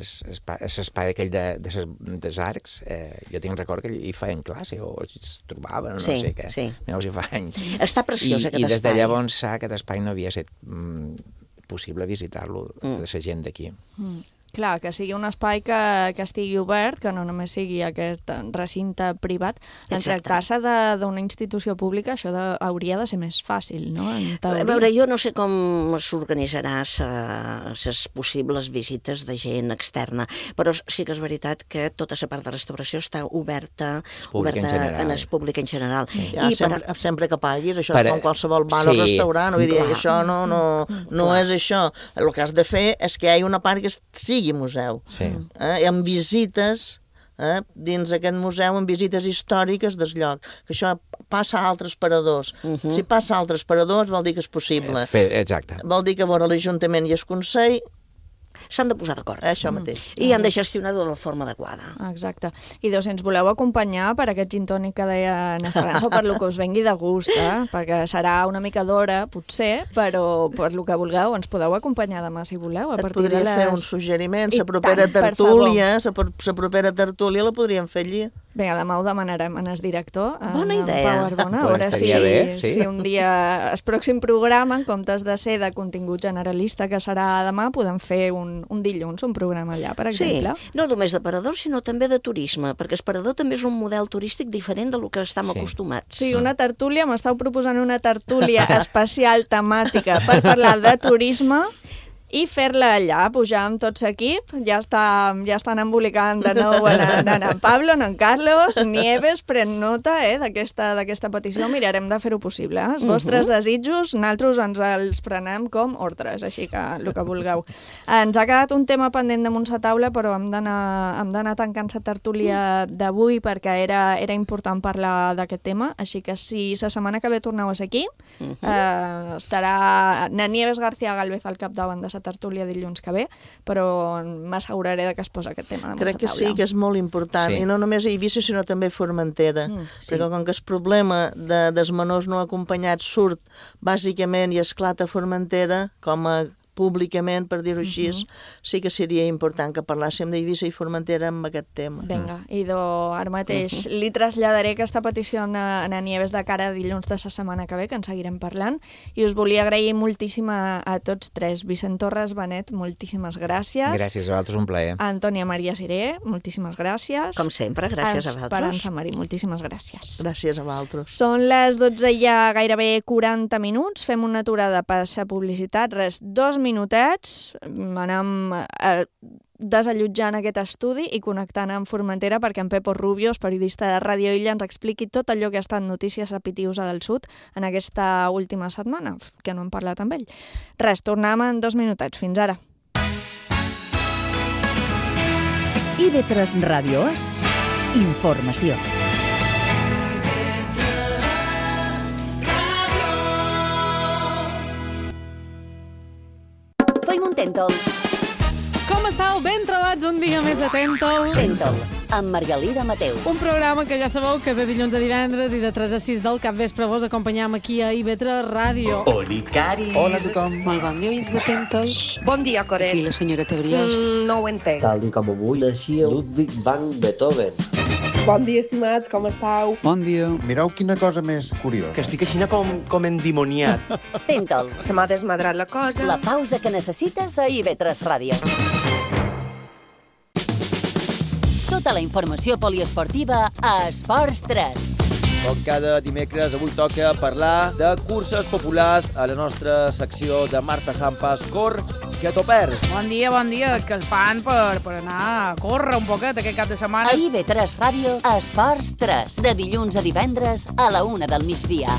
l'espai aquell de, de, dels arcs, eh, jo tinc record que hi feien classe o es trobaven, no sí, sé què, sí. no sé, fa anys. Està preciós I, aquest i des espai. de llavors aquest espai no havia estat mm, possible visitar-lo mm. de la gent d'aquí. Mm. Clar, que sigui un espai que, que estigui obert, que no només sigui aquest recinte privat. En tractar-se d'una institució pública, això de, hauria de ser més fàcil, no? A veure, jo no sé com s'organitzarà les possibles visites de gent externa, però sí que és veritat que tota la part de restauració està oberta, oberta en, en el públic en general. Sí. Ja, I sempre, per... sempre que paguis, això per... és com qualsevol bar sí. o restaurant, vull dir, això no, no, no és això. El que has de fer és que hi hagi una part que sigui museu. Sí. Eh? Amb visites eh? dins aquest museu, amb visites històriques del lloc. Que això passa a altres paradors. Uh -huh. Si passa a altres paradors vol dir que és possible. Fer, exacte. Vol dir que vora l'Ajuntament i el Consell s'han de posar d'acord. Això mateix. I han de gestionar-ho de la forma adequada. Exacte. I doncs, si ens voleu acompanyar per aquest gin tònic que deia en Esperança o per lo que us vengui de gust, eh? Perquè serà una mica d'hora, potser, però per lo que vulgueu ens podeu acompanyar demà si voleu. A Et partir podria de les... fer un suggeriment, la I propera tant, per tertúlia, la propera tertúlia la podríem fer allí. Vinga, demà ho demanarem en el director, Bona en idea. Pau Arbona, a Pues veure si, estaria bé, sí. si un dia, el pròxim programa, en comptes de ser de contingut generalista que serà demà, podem fer un, un dilluns, un programa allà, per exemple. Sí, no només de parador, sinó també de turisme, perquè el parador també és un model turístic diferent del que estem Sí. acostumats. Sí, una tertúlia, m'estàu proposant una tertúlia especial temàtica per parlar de turisme i fer-la allà, pujar amb tot l'equip, ja, està, ja estan embolicant de nou en, en, en, en Pablo, en, en Carlos, Nieves, pren nota eh, d'aquesta d'aquesta petició, mirarem de fer-ho possible. Eh? Els vostres Mhm. desitjos, nosaltres ens els prenem com ordres, així que el que vulgueu. Ens ha quedat un tema pendent damunt la taula, però hem d'anar hem d'anar tancant la tertúlia d'avui perquè era, era important parlar d'aquest tema, així que si la setmana que ve torneu a ser aquí, Mhm. eh, estarà na Nieves García Galvez al capdavant de la tertúlia dilluns que ve, però m'asseguraré de que es posa aquest tema damunt Crec la que taula. sí, que és molt important, Sí. i no només a Eivissa, sinó també a Formentera, Mm, sí. perquè com que el problema de, dels menors no acompanyats surt bàsicament i esclata a Formentera, com a públicament, per dir-ho així, uh -huh. sí que seria important que parlàssim d'Eivissa i Formentera amb aquest tema. Vinga, idò, ara mateix uh -huh. li traslladaré aquesta petició a, a Nieves de cara a dilluns de la setmana que ve, que en seguirem parlant, i us volia agrair moltíssim a, a tots tres. Vicent Torres, Benet, moltíssimes gràcies. Gràcies a vosaltres, un plaer. Antònia Maria Siré, moltíssimes gràcies. Com sempre, gràcies a vosaltres. Esperança Marí, moltíssimes gràcies. Gràcies a vosaltres. Són les dotze i ja gairebé quaranta minuts, fem una aturada per la publicitat, res, dos minutets, anem eh, desallotjant aquest estudi i connectant amb Formentera perquè en Pepo Rubios, periodista de Ràdio Illa, ens expliqui tot allò que ha estat notícies a Pitiusa del Sud en aquesta última setmana, que no hem parlat amb ell. Res, tornem en dos minutets. Fins ara. I V tres Ràdio És informació. Feim un tèntol. Com estàu? Ben trobats un dia més de Tèntol. Tèntol, amb Margalida Mateu. Un programa que ja sabeu que de dilluns a divendres i de tres a sis del capvespre vos acompanyam aquí a I V tres Ràdio. Olicari. Hola a tothom. Molt bon dia, oients de Tèntol. Bon dia, Coret. Aquí la senyora Tebriós. Mm, no ho entenc. Tal i com avui naixia Ludwig van Beethoven. Bon dia, estimats, com estàu? Bon dia. Mireu quina cosa més curiosa. Que estic així com, com endimoniat. Tèntol, Se m'ha desmadrat la cosa. la pausa que necessites a I V tres Ràdio. Tota la informació poliesportiva a Esports tres. Com cada dimecres, avui toca parlar de curses populars a la nostra secció de Marta Sampas, Cor, que t'ho perds. Bon dia, bon dia. És que el fan per, per anar a córrer un poquet aquest cap de setmana. A I V tres Ràdio, a Esports tres, de dilluns a divendres a la una del migdia.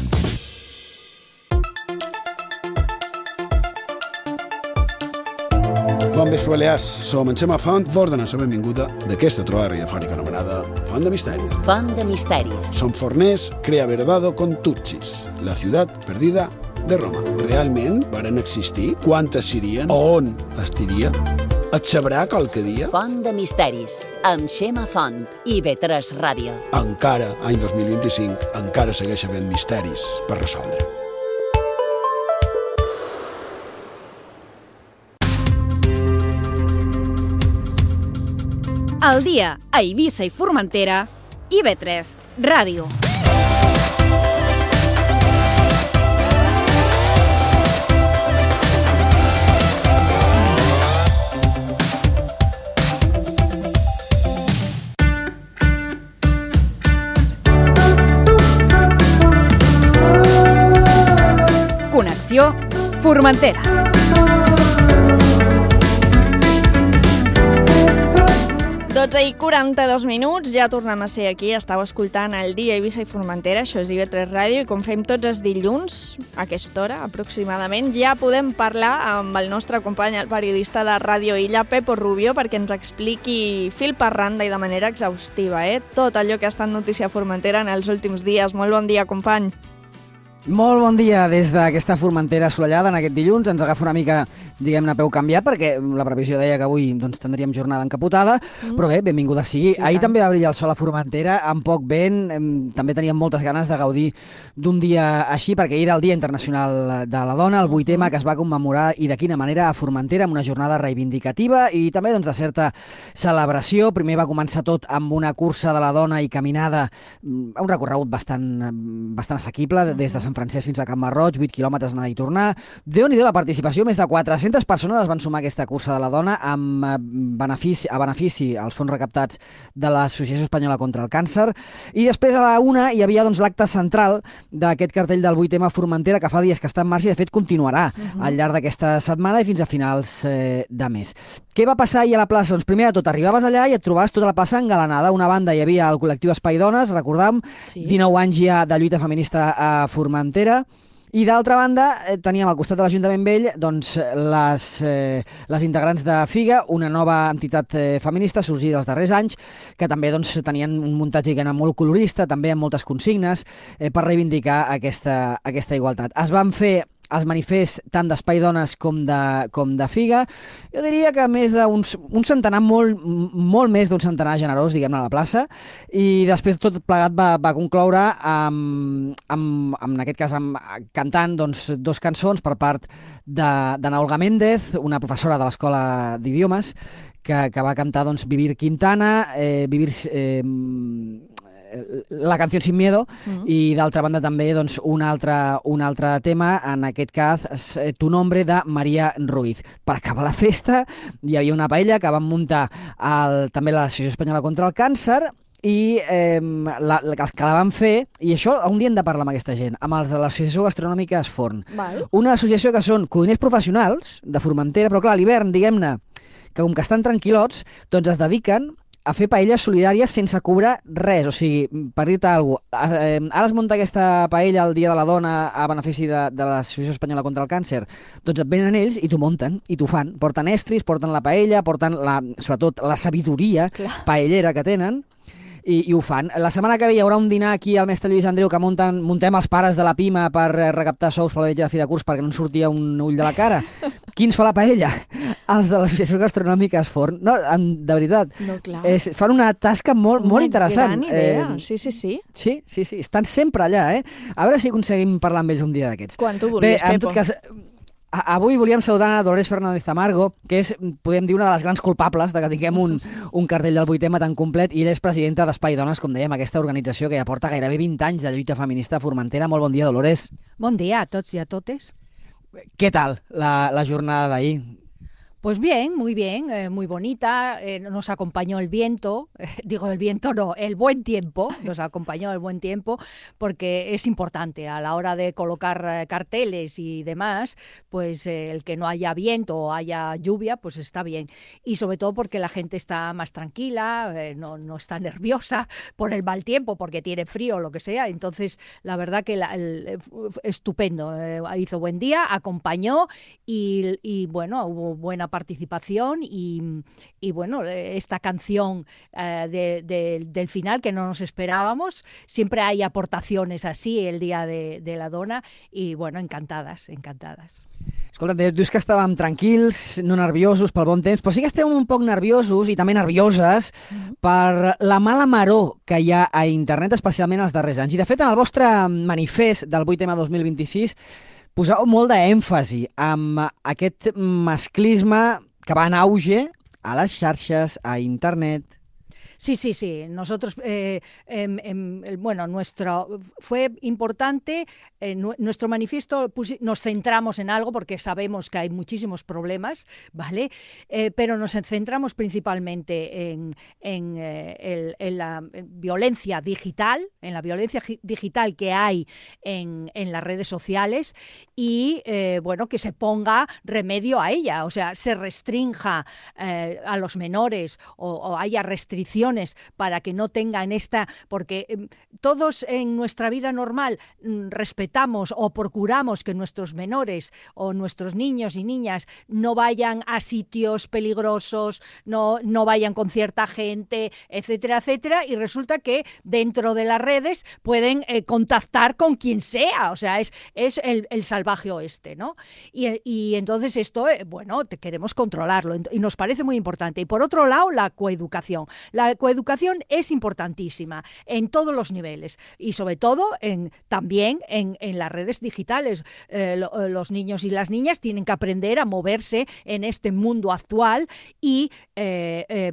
Bon vespre, Balears. Som en Xema Font, vos donem la benvinguda d'aquesta trobada radiofònica anomenada Font de Misteri. Font de Misteris. Som forners, crea verdado con Tutsis, la ciutat perdida de Roma. Realment varen existir? Quantes serien? On estiria? Et sabrà qualque dia? Font de Misteris, amb Xema Font, I V tres Ràdio. Encara, any dos mil vint-i-cinc, encara segueix havent misteris per resoldre. Al dia a Eivissa i Formentera, I V tres Ràdio. Connexió Formentera. dotze i quaranta-dos minuts, ja tornem a ser aquí, estàu escoltant el dia Eivissa i Formentera, això és I V tres Ràdio, i com fem tots els dilluns, a aquesta hora aproximadament, ja podem parlar amb el nostre company, el periodista de Ràdio Illa, Pepo Rubio, perquè ens expliqui fil per randa i de manera exhaustiva, eh? tot allò que ha estat notícia a Formentera en els últims dies. Molt bon dia, company. Molt bon dia des d'aquesta Formentera assolellada en aquest dilluns. Ens agafa una mica, diguem-ne, peu canviat, perquè la previsió deia que avui doncs, tindríem jornada encapotada, mm. però bé, benvinguda sigui. Sí, Ahir tant. també va brillar el sol a Formentera, amb poc vent, també teníem moltes ganes de gaudir d'un dia així, perquè ahir era el Dia Internacional de la Dona, el vuit ema, que es va commemorar, i de quina manera, a Formentera, amb una jornada reivindicativa i també doncs, de certa celebració. Primer va començar tot amb una cursa de la dona i caminada, un recorregut bastant, bastant assequible, des de Sant Francesc fins a Can Marroig, vuit quilòmetres anar i tornar. Déu-n'hi-do la participació, més de quatre-centes persones es van sumar a aquesta cursa de la dona amb benefici, a benefici als fons recaptats de l'Associació Espanyola contra el Càncer. I després a la una hi havia doncs, l'acte central d'aquest cartell del vuit ema Formentera, que fa dies que està en marxa i de fet continuarà uh-huh. al llarg d'aquesta setmana i fins a finals eh, de mes. Què va passar ahir a la plaça? Doncs primer de tot, arribaves allà i et trobaves tota la plaça engalanada. Una banda hi havia el col·lectiu Espai Dones, recordam, sí. dinou anys ja de lluita feminista a Formentera. I d'altra banda, eh, teníem al costat de l'Ajuntament Vell doncs, les, eh, les integrants de FIGA, una nova entitat eh, feminista sorgida els darrers anys, que també doncs, tenien un muntatge que era molt colorista, també amb moltes consignes, eh, per reivindicar aquesta, aquesta igualtat. Es van fer els manifests tant d'Espai Dones com de, com de FIGA. Jo diria que més d'un un centenar, molt, molt més d'un centenar generós, diguem-ne, a la plaça, i després tot plegat va, va concloure amb, amb, amb, en aquest cas, amb, cantant doncs, dos cançons per part d'Ana Olga Méndez, una professora de l'Escola d'Idiomes, que, que va cantar doncs, Vivir Quintana, eh, Vivir... Eh, la canció Sin Miedo, uh-huh. i d'altra banda també doncs, un, altre, un altre tema, en aquest cas Tu Nombre, de Maria Ruiz. Per acabar la festa hi havia una paella que van muntar el, també l'Associació Espanyola contra el Càncer i eh, la, els que la van fer, i això un dia hem de parlar amb aquesta gent, amb els de l'Associació Gastronòmica Esforn. Val. Una associació que són cuiners professionals de Formentera, però clar, a l'hivern, diguem-ne, que com que estan tranquil·lots, doncs es dediquen a fer paelles solidàries sense cobrar res. O sigui, per dir-te alguna cosa, eh, ara es munta aquesta paella el Dia de la Dona a benefici de, de l'Associació Espanyola contra el Càncer. Doncs et venen ells i t'ho munten, i t'ho fan. Porten estris, porten la paella, porten la, sobretot la sabidoria Clar. paellera que tenen, i, i ho fan. La setmana que ve hi haurà un dinar aquí al mestre Lluís Andreu que munten, muntem els pares de la Pima per recaptar sous per la vetlla de fi de curs perquè no en sortia un ull de la cara. Qui ens fa la paella? Els de l'Associació Gastronòmica Esforn. No, de veritat. No, clar. És, fan una tasca molt, molt interessant. Gran idea, eh, sí, sí, sí. Sí, sí, sí. Estan sempre allà, eh? A veure si aconseguim parlar amb ells un dia d'aquests. Quan tu vulguis, Pepo. Bé, en tot cas... Avui volíem saludar a Dolores Fernández Amargo, que és, podem dir, una de les grans culpables de que tinguem un, un cartell del vuit ema tan complet, i ella és presidenta d'Espai Dones, com dèiem, aquesta organització que ja porta gairebé vint anys de lluita feminista a Formentera. Molt bon dia, Dolores. Bon dia a tots i a totes. Què tal la, la jornada d'ahir? Pues bien, muy bien, eh, muy bonita, eh, nos acompañó el viento, eh, digo el viento no, el buen tiempo, nos acompañó el buen tiempo, porque es importante a la hora de colocar eh, carteles y demás, pues eh, el que no haya viento o haya lluvia, pues está bien, y sobre todo porque la gente está más tranquila, eh, no, no está nerviosa por el mal tiempo, porque tiene frío o lo que sea, entonces la verdad que la, el, estupendo, eh, hizo buen día, acompañó y, y bueno, hubo buena participación y, y bueno, esta canción eh, de, de, del final que no nos esperábamos, siempre hay aportaciones así el Día de, de la Dona y bueno, encantadas, encantadas. Escolta, dius que estàvem tranquils, no nerviosos pel bon temps, però sí que estem un poc nerviosos i també nervioses mm-hmm. per la mala maror que hi ha a internet, especialment els darrers anys. I de fet, en el vostre manifest del vuit ema dos mil vint-i-sis poseu molt d'èmfasi amb aquest masclisme que va en auge a les xarxes, a internet. Sí, sí, sí. Nosotros, eh, eh, eh, bueno, nuestro fue importante, eh, nuestro manifiesto pusi, nos centramos en algo porque sabemos que hay muchísimos problemas, ¿vale? Eh, pero nos centramos principalmente en, en, eh, el, en la violencia digital, en la violencia digital que hay en, en las redes sociales y, eh, bueno, que se ponga remedio a ella, o sea, se restrinja eh, a los menores o, o haya restricciones restricciones para que no tengan esta, porque eh, todos en nuestra vida normal mm, respetamos o procuramos que nuestros menores o nuestros niños y niñas no vayan a sitios peligrosos, no, no vayan con cierta gente, etcétera, etcétera, y resulta que dentro de las redes pueden eh, contactar con quien sea, o sea, es, es el, el salvaje oeste, ¿no? Y, y entonces esto, eh, bueno, te queremos controlarlo y nos parece muy importante. Y por otro lado, la coeducación. La coeducación es importantísima en todos los niveles y sobre todo en, también en, en las redes digitales. Eh, lo, los niños y las niñas tienen que aprender a moverse en este mundo actual y, eh, eh,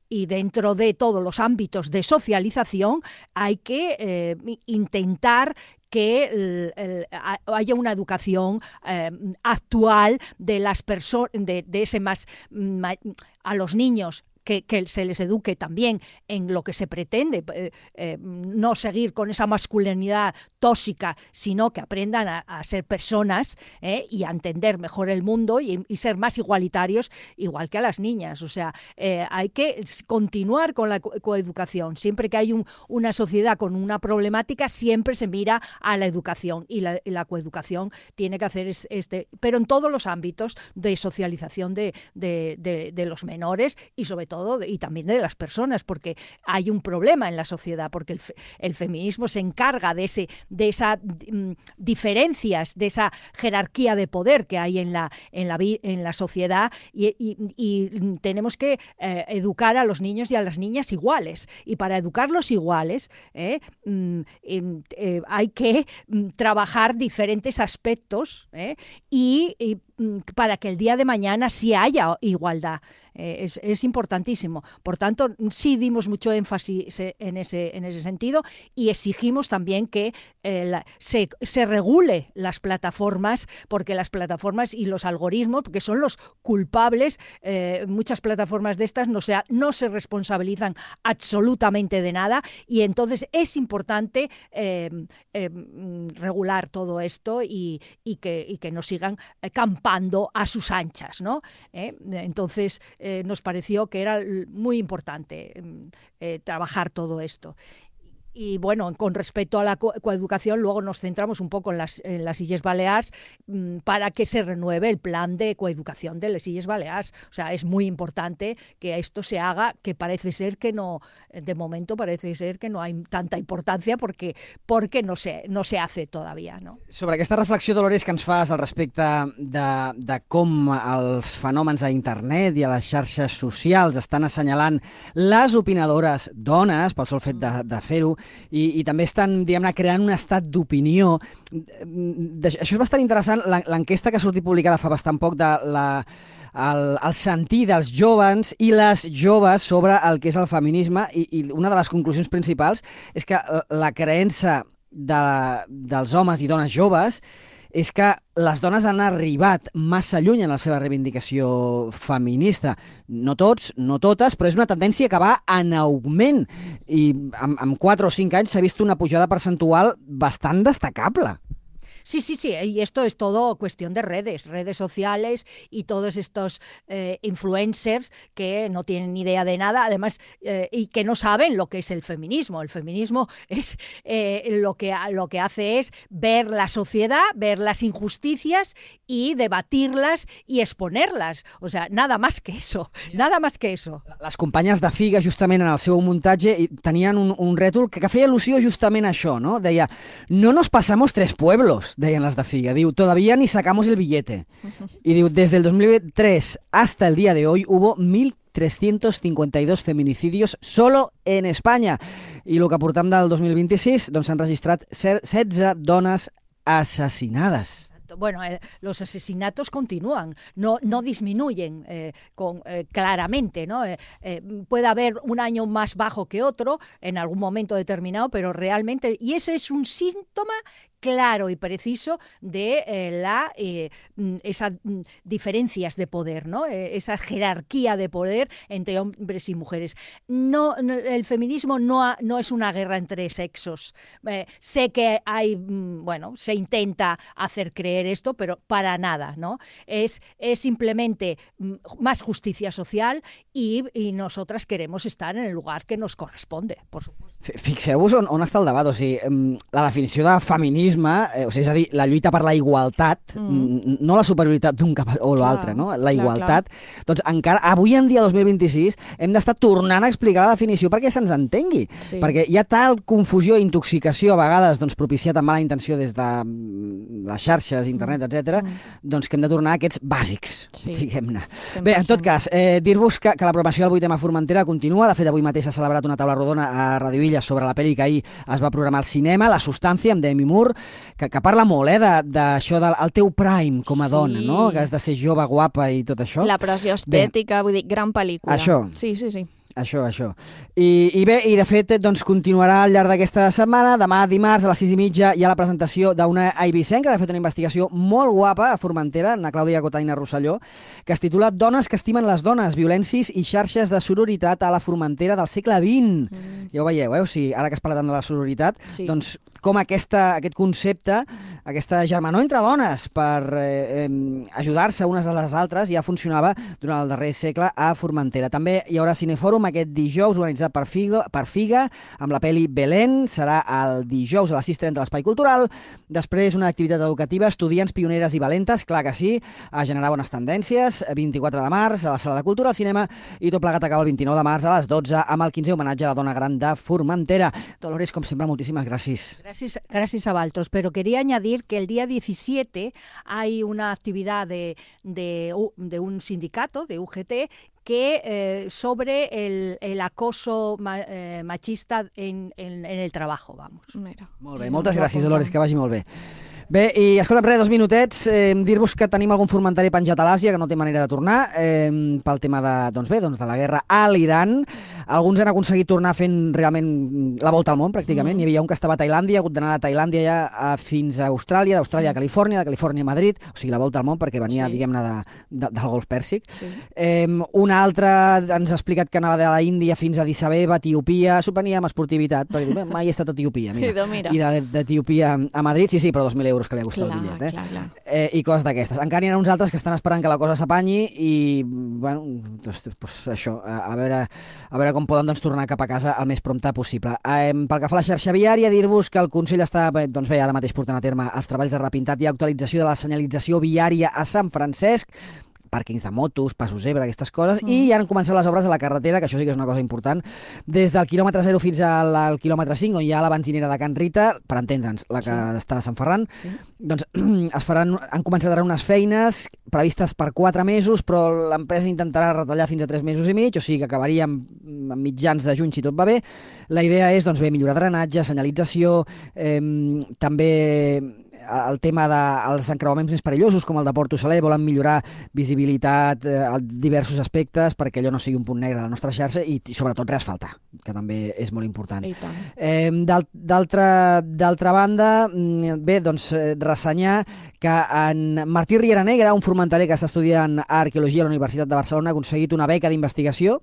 y dentro de todos los ámbitos de socialización hay que eh, intentar que el, el, haya una educación eh, actual de las personas, de, de ese más, ma, a los niños. Que, que se les eduque también en lo que se pretende, eh, eh, no seguir con esa masculinidad tóxica, sino que aprendan a, a ser personas eh, y a entender mejor el mundo y, y ser más igualitarios, igual que a las niñas. O sea, eh, hay que continuar con la co coeducación. Siempre que hay un, una sociedad con una problemática, siempre se mira a la educación y la, y la coeducación tiene que hacer este, pero en todos los ámbitos de socialización de, de, de, de los menores y sobre todo y también de las personas, porque hay un problema en la sociedad, porque el, fe, el feminismo se encarga de ese de esas mm, diferencias, de esa jerarquía de poder que hay en la en la, en la sociedad y, y, y tenemos que eh, educar a los niños y a las niñas iguales, y para educarlos iguales eh, mm, eh, hay que mm, trabajar diferentes aspectos eh, y, y para que el día de mañana sí haya igualdad. Eh, es, es importantísimo. Por tanto, sí dimos mucho énfasis en ese, en ese sentido y exigimos también que eh, la, se, se regule las plataformas, porque las plataformas y los algoritmos, porque son los culpables, eh, muchas plataformas de estas no se, no se responsabilizan absolutamente de nada y entonces es importante eh, eh, regular todo esto y, y, que, y que no sigan eh, campañando a sus anchas, ¿no? ¿Eh? Entonces eh, nos pareció que era muy importante eh, trabajar todo esto. Y bueno, con respecto a la co coeducación, luego nos centramos un poco en las, en las Illes Balears mmm, para que se renueve el plan de coeducación de las Illes Balears. O sea, es muy importante que esto se haga, que parece ser que no, de momento parece ser que no hay tanta importancia porque, porque no, se, no se hace todavía, no? Sobre aquesta reflexió, Dolores, que ens fas al respecte de, de com els fenòmens a internet i a les xarxes socials estan assenyalant les opinadores dones pel sol fet de, de fer-ho, I, i també estan, diguem-ne, creant un estat d'opinió. Això és bastant interessant, l'enquesta que ha sortit publicada fa bastant poc de la, el, el sentir dels joves i les joves sobre el que és el feminisme i, i una de les conclusions principals és que la creença de, dels homes i dones joves és que les dones han arribat massa lluny en la seva reivindicació feminista. No tots, no totes, però és una tendència que va en augment i en, en quatre o cinc anys s'ha vist una pujada percentual bastant destacable. Sí, sí, sí, y esto es todo cuestión de redes, redes sociales y todos estos eh, influencers que no tienen ni idea de nada, además, eh, y que no saben lo que es el feminismo. El feminismo es eh, lo que, lo que hace es ver la sociedad, ver las injusticias y debatirlas y exponerlas. O sea, nada más que eso, nada más que eso. Les companyes de Figa, justament en el seu muntatge, tenien un, un rètol que, que feia al·lusió justament a això, no? Deia, no nos pasamos tres pueblos, deien les de Figa. Diu, todavía ni sacamos el billete. Y diu, desde el dos mil tres hasta el día de hoy hubo mil trescientos cincuenta y dos feminicidios solo en España. I el que portam del dos mil vint-i-sis, doncs s'han registrat setze dones assassinades. Bueno, eh, los asesinatos continúan, no, no disminuyen eh, con, eh, claramente, ¿no? Eh, eh, puede haber un año más bajo que otro en algún momento determinado, pero realmente, y ese es un síntoma claro y preciso de eh, la eh, esas diferencias de poder, ¿no? Eh, esa jerarquía de poder entre hombres y mujeres. No, no el feminismo no, ha, no es una guerra entre sexos. Eh, sé que hay, bueno, se intenta hacer creer esto, pero para nada, ¿no? Es, es simplemente más justicia social y, y nosotras queremos estar en el lugar que nos corresponde, por supuesto. Fixeu-vos on, on està el debat, o sigui, la definició de feminisme, eh, o sigui, és a dir, la lluita per la igualtat, mm. no la superioritat d'un cap o l'altre, no? La igualtat. Clar, clar. Doncs encara, avui en dia, dos mil vint-i-sis, hem d'estar tornant a explicar la definició perquè se'ns entengui. Sí. Perquè hi ha tal confusió i intoxicació, a vegades doncs, propiciat amb mala intenció des de les xarxes, internet, mm. etcètera, mm. doncs que hem de tornar a aquests bàsics, sí. diguem-ne. Bé, en tot cas, eh, dir-vos que, que la programació del vuitena Formentera continua. De fet, avui mateix s'ha celebrat una taula rodona a Radio Illa sobre la pel·li que ahir es va programar al cinema, La substància, amb Demi Moore, que, que parla molt, eh, d'això del el teu prime com a sí. dona, no? Que has de ser jove, guapa i tot això. La pressió estètica, Bé, vull dir, gran pel·lícula. Això. Sí, sí, sí. Això, això. I, i bé, i de fet, doncs, continuarà al llarg d'aquesta setmana. Demà, dimarts, a les sis i mitja, hi ha la presentació d'una eivissenca que ha fet una investigació molt guapa a Formentera, na Clàudia Cotaina Rosselló, que es titula Dones que estimen les dones, violències i xarxes de sororitat a la Formentera del segle vint. Mm. Ja ho veieu, eh? O sigui, ara que es parla tant de la sororitat, sí. doncs com aquesta, aquest concepte, aquesta germanor entre dones per eh, eh, ajudar-se unes a les altres ja funcionava durant el darrer segle a Formentera. També hi haurà cinefòrum aquest dijous, organitzat per Figa, per Figa, amb la pel·li Belén. Serà el dijous a les sis i trenta a l'Espai Cultural. Després, una activitat educativa, estudiants pioneres i valentes, clar que sí, a generar bones tendències, vint-i-quatre de març a la Sala de Cultura, al cinema, i tot plegat acaba el vint-i-nou de març a les dotze amb el quinzè homenatge a la dona gran de Formentera. Dolores, com sempre, moltíssimes gràcies. Gracias, gracias a Valtros, pero quería añadir que el día diecisiete hay una actividad de, de, de un sindicato, de U G T, que eh, sobre el, el acoso ma, eh, machista en, en, en el trabajo, vamos. Mira. Molt bé, moltes gràcies, Dolores, que vagi molt bé. Bé, i escolta'm, res, dos minutets, eh, dir-vos que tenim algun formentari penjat a l'Àsia que no té manera de tornar, eh, pel tema de, doncs bé, doncs de la guerra a l'Iran. Alguns han aconseguit tornar fent realment la volta al món, pràcticament. Mm. Hi havia un que estava a Tailàndia, ha hagut d'anar de Tailàndia ja a, fins a Austràlia, d'Austràlia a Califòrnia, de Califòrnia a Madrid, o sigui, la volta al món perquè venia, sí. diguem-ne, de, de, del Golf Pèrsic. Sí. Eh, un altre ens ha explicat que anava de la Índia fins a Addis Abeba, Etiòpia, s'ho prenia amb esportivitat, perquè diu, mai he estat a Etiòpia, mira. mira. I d'Etiòpia a Madrid, sí, sí, però dos mil euros que li ha costat el bitllet. Eh? Clar, clar. Eh, i coses d'aquestes. Encara n'hi ha uns altres que estan esperant que la cosa s'apanyi i, bueno, doncs, doncs això, a, a, veure, a veure com poden doncs, tornar cap a casa el més prompte possible. Eh, pel que fa a la xarxa viària, dir-vos que el Consell està, doncs bé, ara mateix portant a terme els treballs de repintat i actualització de la senyalització viària a Sant Francesc, pàrquings de motos, passos zebra, aquestes coses, mm. i ja han començat les obres a la carretera, que això sí que és una cosa important, des del quilòmetre zero fins al, al quilòmetre cinc, on hi ha la benzinera de Can Rita, per entendre'ns, la que sí. està a Sant Ferran, sí. doncs es faran, han començat ara unes feines previstes per quatre mesos, però l'empresa intentarà retallar fins a tres mesos i mig, o sigui que acabaríem a mitjans de juny si tot va bé. La idea és, doncs bé, millorar drenatge, senyalització, eh, també el tema dels encreuaments més perillosos, com el de Port Saler, volen millorar visibilitat eh, a diversos aspectes perquè allò no sigui un punt negre de la nostra xarxa i, i sobretot reasfaltar, que també és molt important. Eh, D'altra banda, bé, doncs ressenyar que en Martí Riera Negra, un formenterer que està estudiant arqueologia a la Universitat de Barcelona, ha aconseguit una beca d'investigació,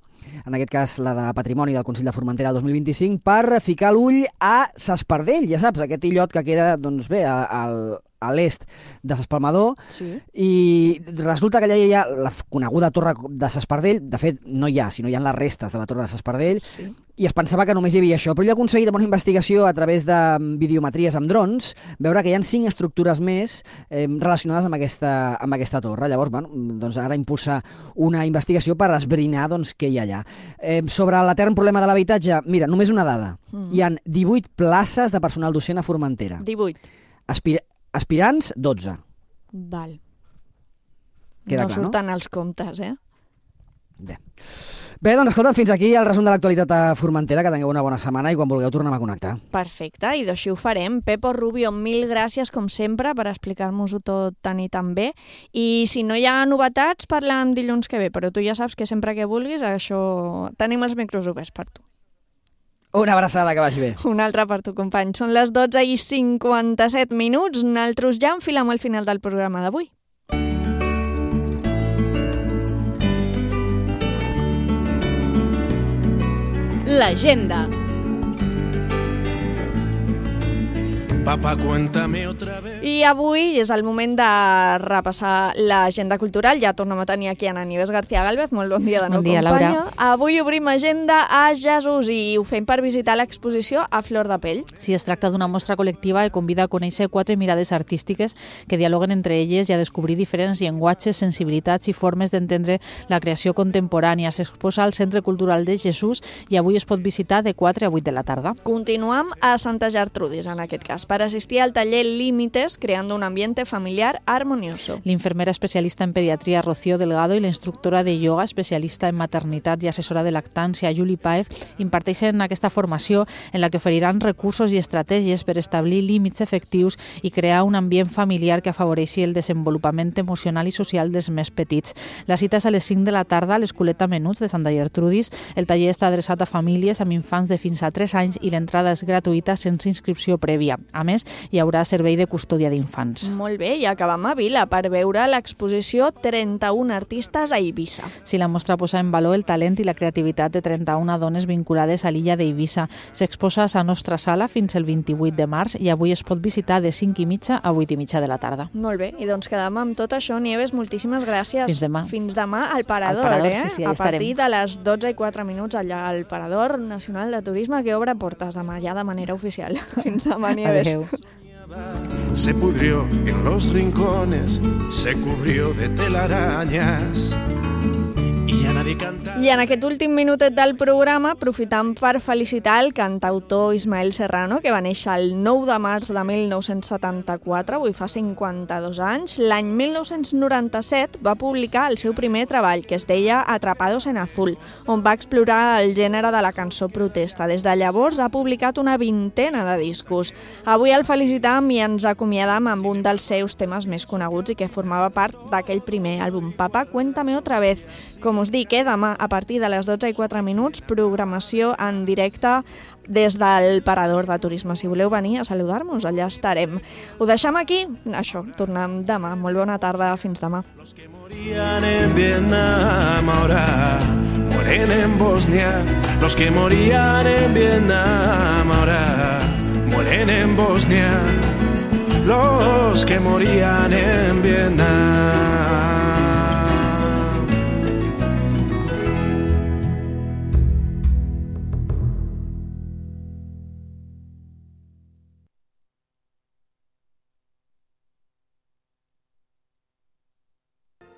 en aquest cas la de Patrimoni del Consell de Formentera del dos mil vint-i-cinc, per ficar l'ull a S'Espardell, ja saps, aquest illot que queda, doncs bé, al, a l'est de S'Espalmador, sí. i resulta que allà hi ha la coneguda torre de S'Espardell, de fet no hi ha, sinó hi ha les restes de la torre de S'Espardell, sí. i es pensava que només hi havia això, però ell ha aconseguit amb una investigació a través de videometries amb drons, veure que hi ha cinc estructures més eh, relacionades amb aquesta, amb aquesta torre. Llavors, bueno, doncs ara impulsa una investigació per esbrinar doncs, què hi ha allà. Eh, sobre l'etern problema de l'habitatge, mira, només una dada. Mm. Hi ha divuit places de personal docent a Formentera. divuit. Aspir aspirants, dotze. Val. Queda no clar, surten no? els comptes, eh? Bé. Bé, doncs escolta'm, fins aquí el resum de l'actualitat a Formentera, que tingueu una bona setmana i quan vulgueu tornem a connectar. Perfecte, i d'així ho farem. Pepo Rubio, mil gràcies, com sempre, per explicar-nos-ho tot tan i tan bé. I si no hi ha novetats, parlem dilluns que ve, però tu ja saps que sempre que vulguis, això tenim els micros oberts per tu. Una abraçada, que vagi bé. Una altra per tu, company. Són les dotze i cinquanta-set minuts. Nosaltres ja enfilem al final del programa d'avui. L'agenda. Papá, cuéntame otra vez. I avui és el moment de repassar l'agenda cultural. Ja tornem a tenir aquí a Nieves García Gálvez. Molt bon dia de nou, bon dia, companya. Laura. Avui obrim agenda a Jesús i ho fem per visitar l'exposició A Flor de Pell. Sí, es tracta d'una mostra col·lectiva que convida a conèixer quatre mirades artístiques que dialoguen entre elles i a descobrir diferents llenguatges, sensibilitats i formes d'entendre la creació contemporània. S'exposa al Centre Cultural de Jesús i avui es pot visitar de quatre a vuit de la tarda. Continuem a Santa Gertrudis, en aquest cas, per assistir al taller Límites, creando un ambiente familiar armonioso. L'infermera especialista en pediatria Rocío Delgado i la instructora de ioga especialista en maternitat i assessora de lactància Juli Páez imparteixen aquesta formació en la que oferiran recursos i estratègies per establir límits efectius i crear un ambient familiar que afavoreixi el desenvolupament emocional i social dels més petits. La cita és a les cinc de la tarda a l'Escoleta Menuts de Santa Gertrudis. El taller està adreçat a famílies amb infants de fins a tres anys i l'entrada és gratuïta sense inscripció prèvia. A més, hi haurà servei de custòdia d'infants. Molt bé, i acabam a Vila per veure l'exposició trenta-un artistes a Eivissa. Sí, la mostra posa en valor el talent i la creativitat de trenta-una dones vinculades a l'illa d'Eivissa. S'exposa a la nostra sala fins el vint-i-vuit de març i avui es pot visitar de cinc i mitja a vuit i mitja de la tarda. Molt bé, i doncs quedam amb tot això. Nieves, moltíssimes gràcies. Fins demà. Fins demà al Parador, al Parador eh? sí, sí, a partir estarem. de les dotze i quatre minuts allà al Parador Nacional de Turisme, que obre portes demà ja de manera oficial. Fins demà, Nieves. Adéu. Se pudrió en los rincones, se cubrió de telarañas. I a nadie canta. I en aquest últim minutet del programa aprofitam per felicitar el cantautor Ismael Serrano, que va néixer el nou de març de mil nou-cents setanta-quatre, avui fa cinquanta-dos anys. L'any mil nou-cents noranta-set va publicar el seu primer treball, que es deia Atrapados en Azul, on va explorar el gènere de la cançó protesta. Des de llavors ha publicat una vintena de discos. Avui el felicitam i ens acomiadam amb un dels seus temes més coneguts i que formava part d'aquell primer àlbum, Papá, cuéntame otra vez. Com us dic, eh, demà a partir de les dotze i quatre minuts, programació en directe des del Parador de Turisme. Si voleu venir a saludar-nos, allà estarem. Ho deixem aquí? Això, tornem demà. Molt bona tarda, fins demà. Los que morían en Vietnam ahora mueren en Bosnia. Los que morían en Vietnam ahora mueren en Bosnia. Los que morían en Vietnam.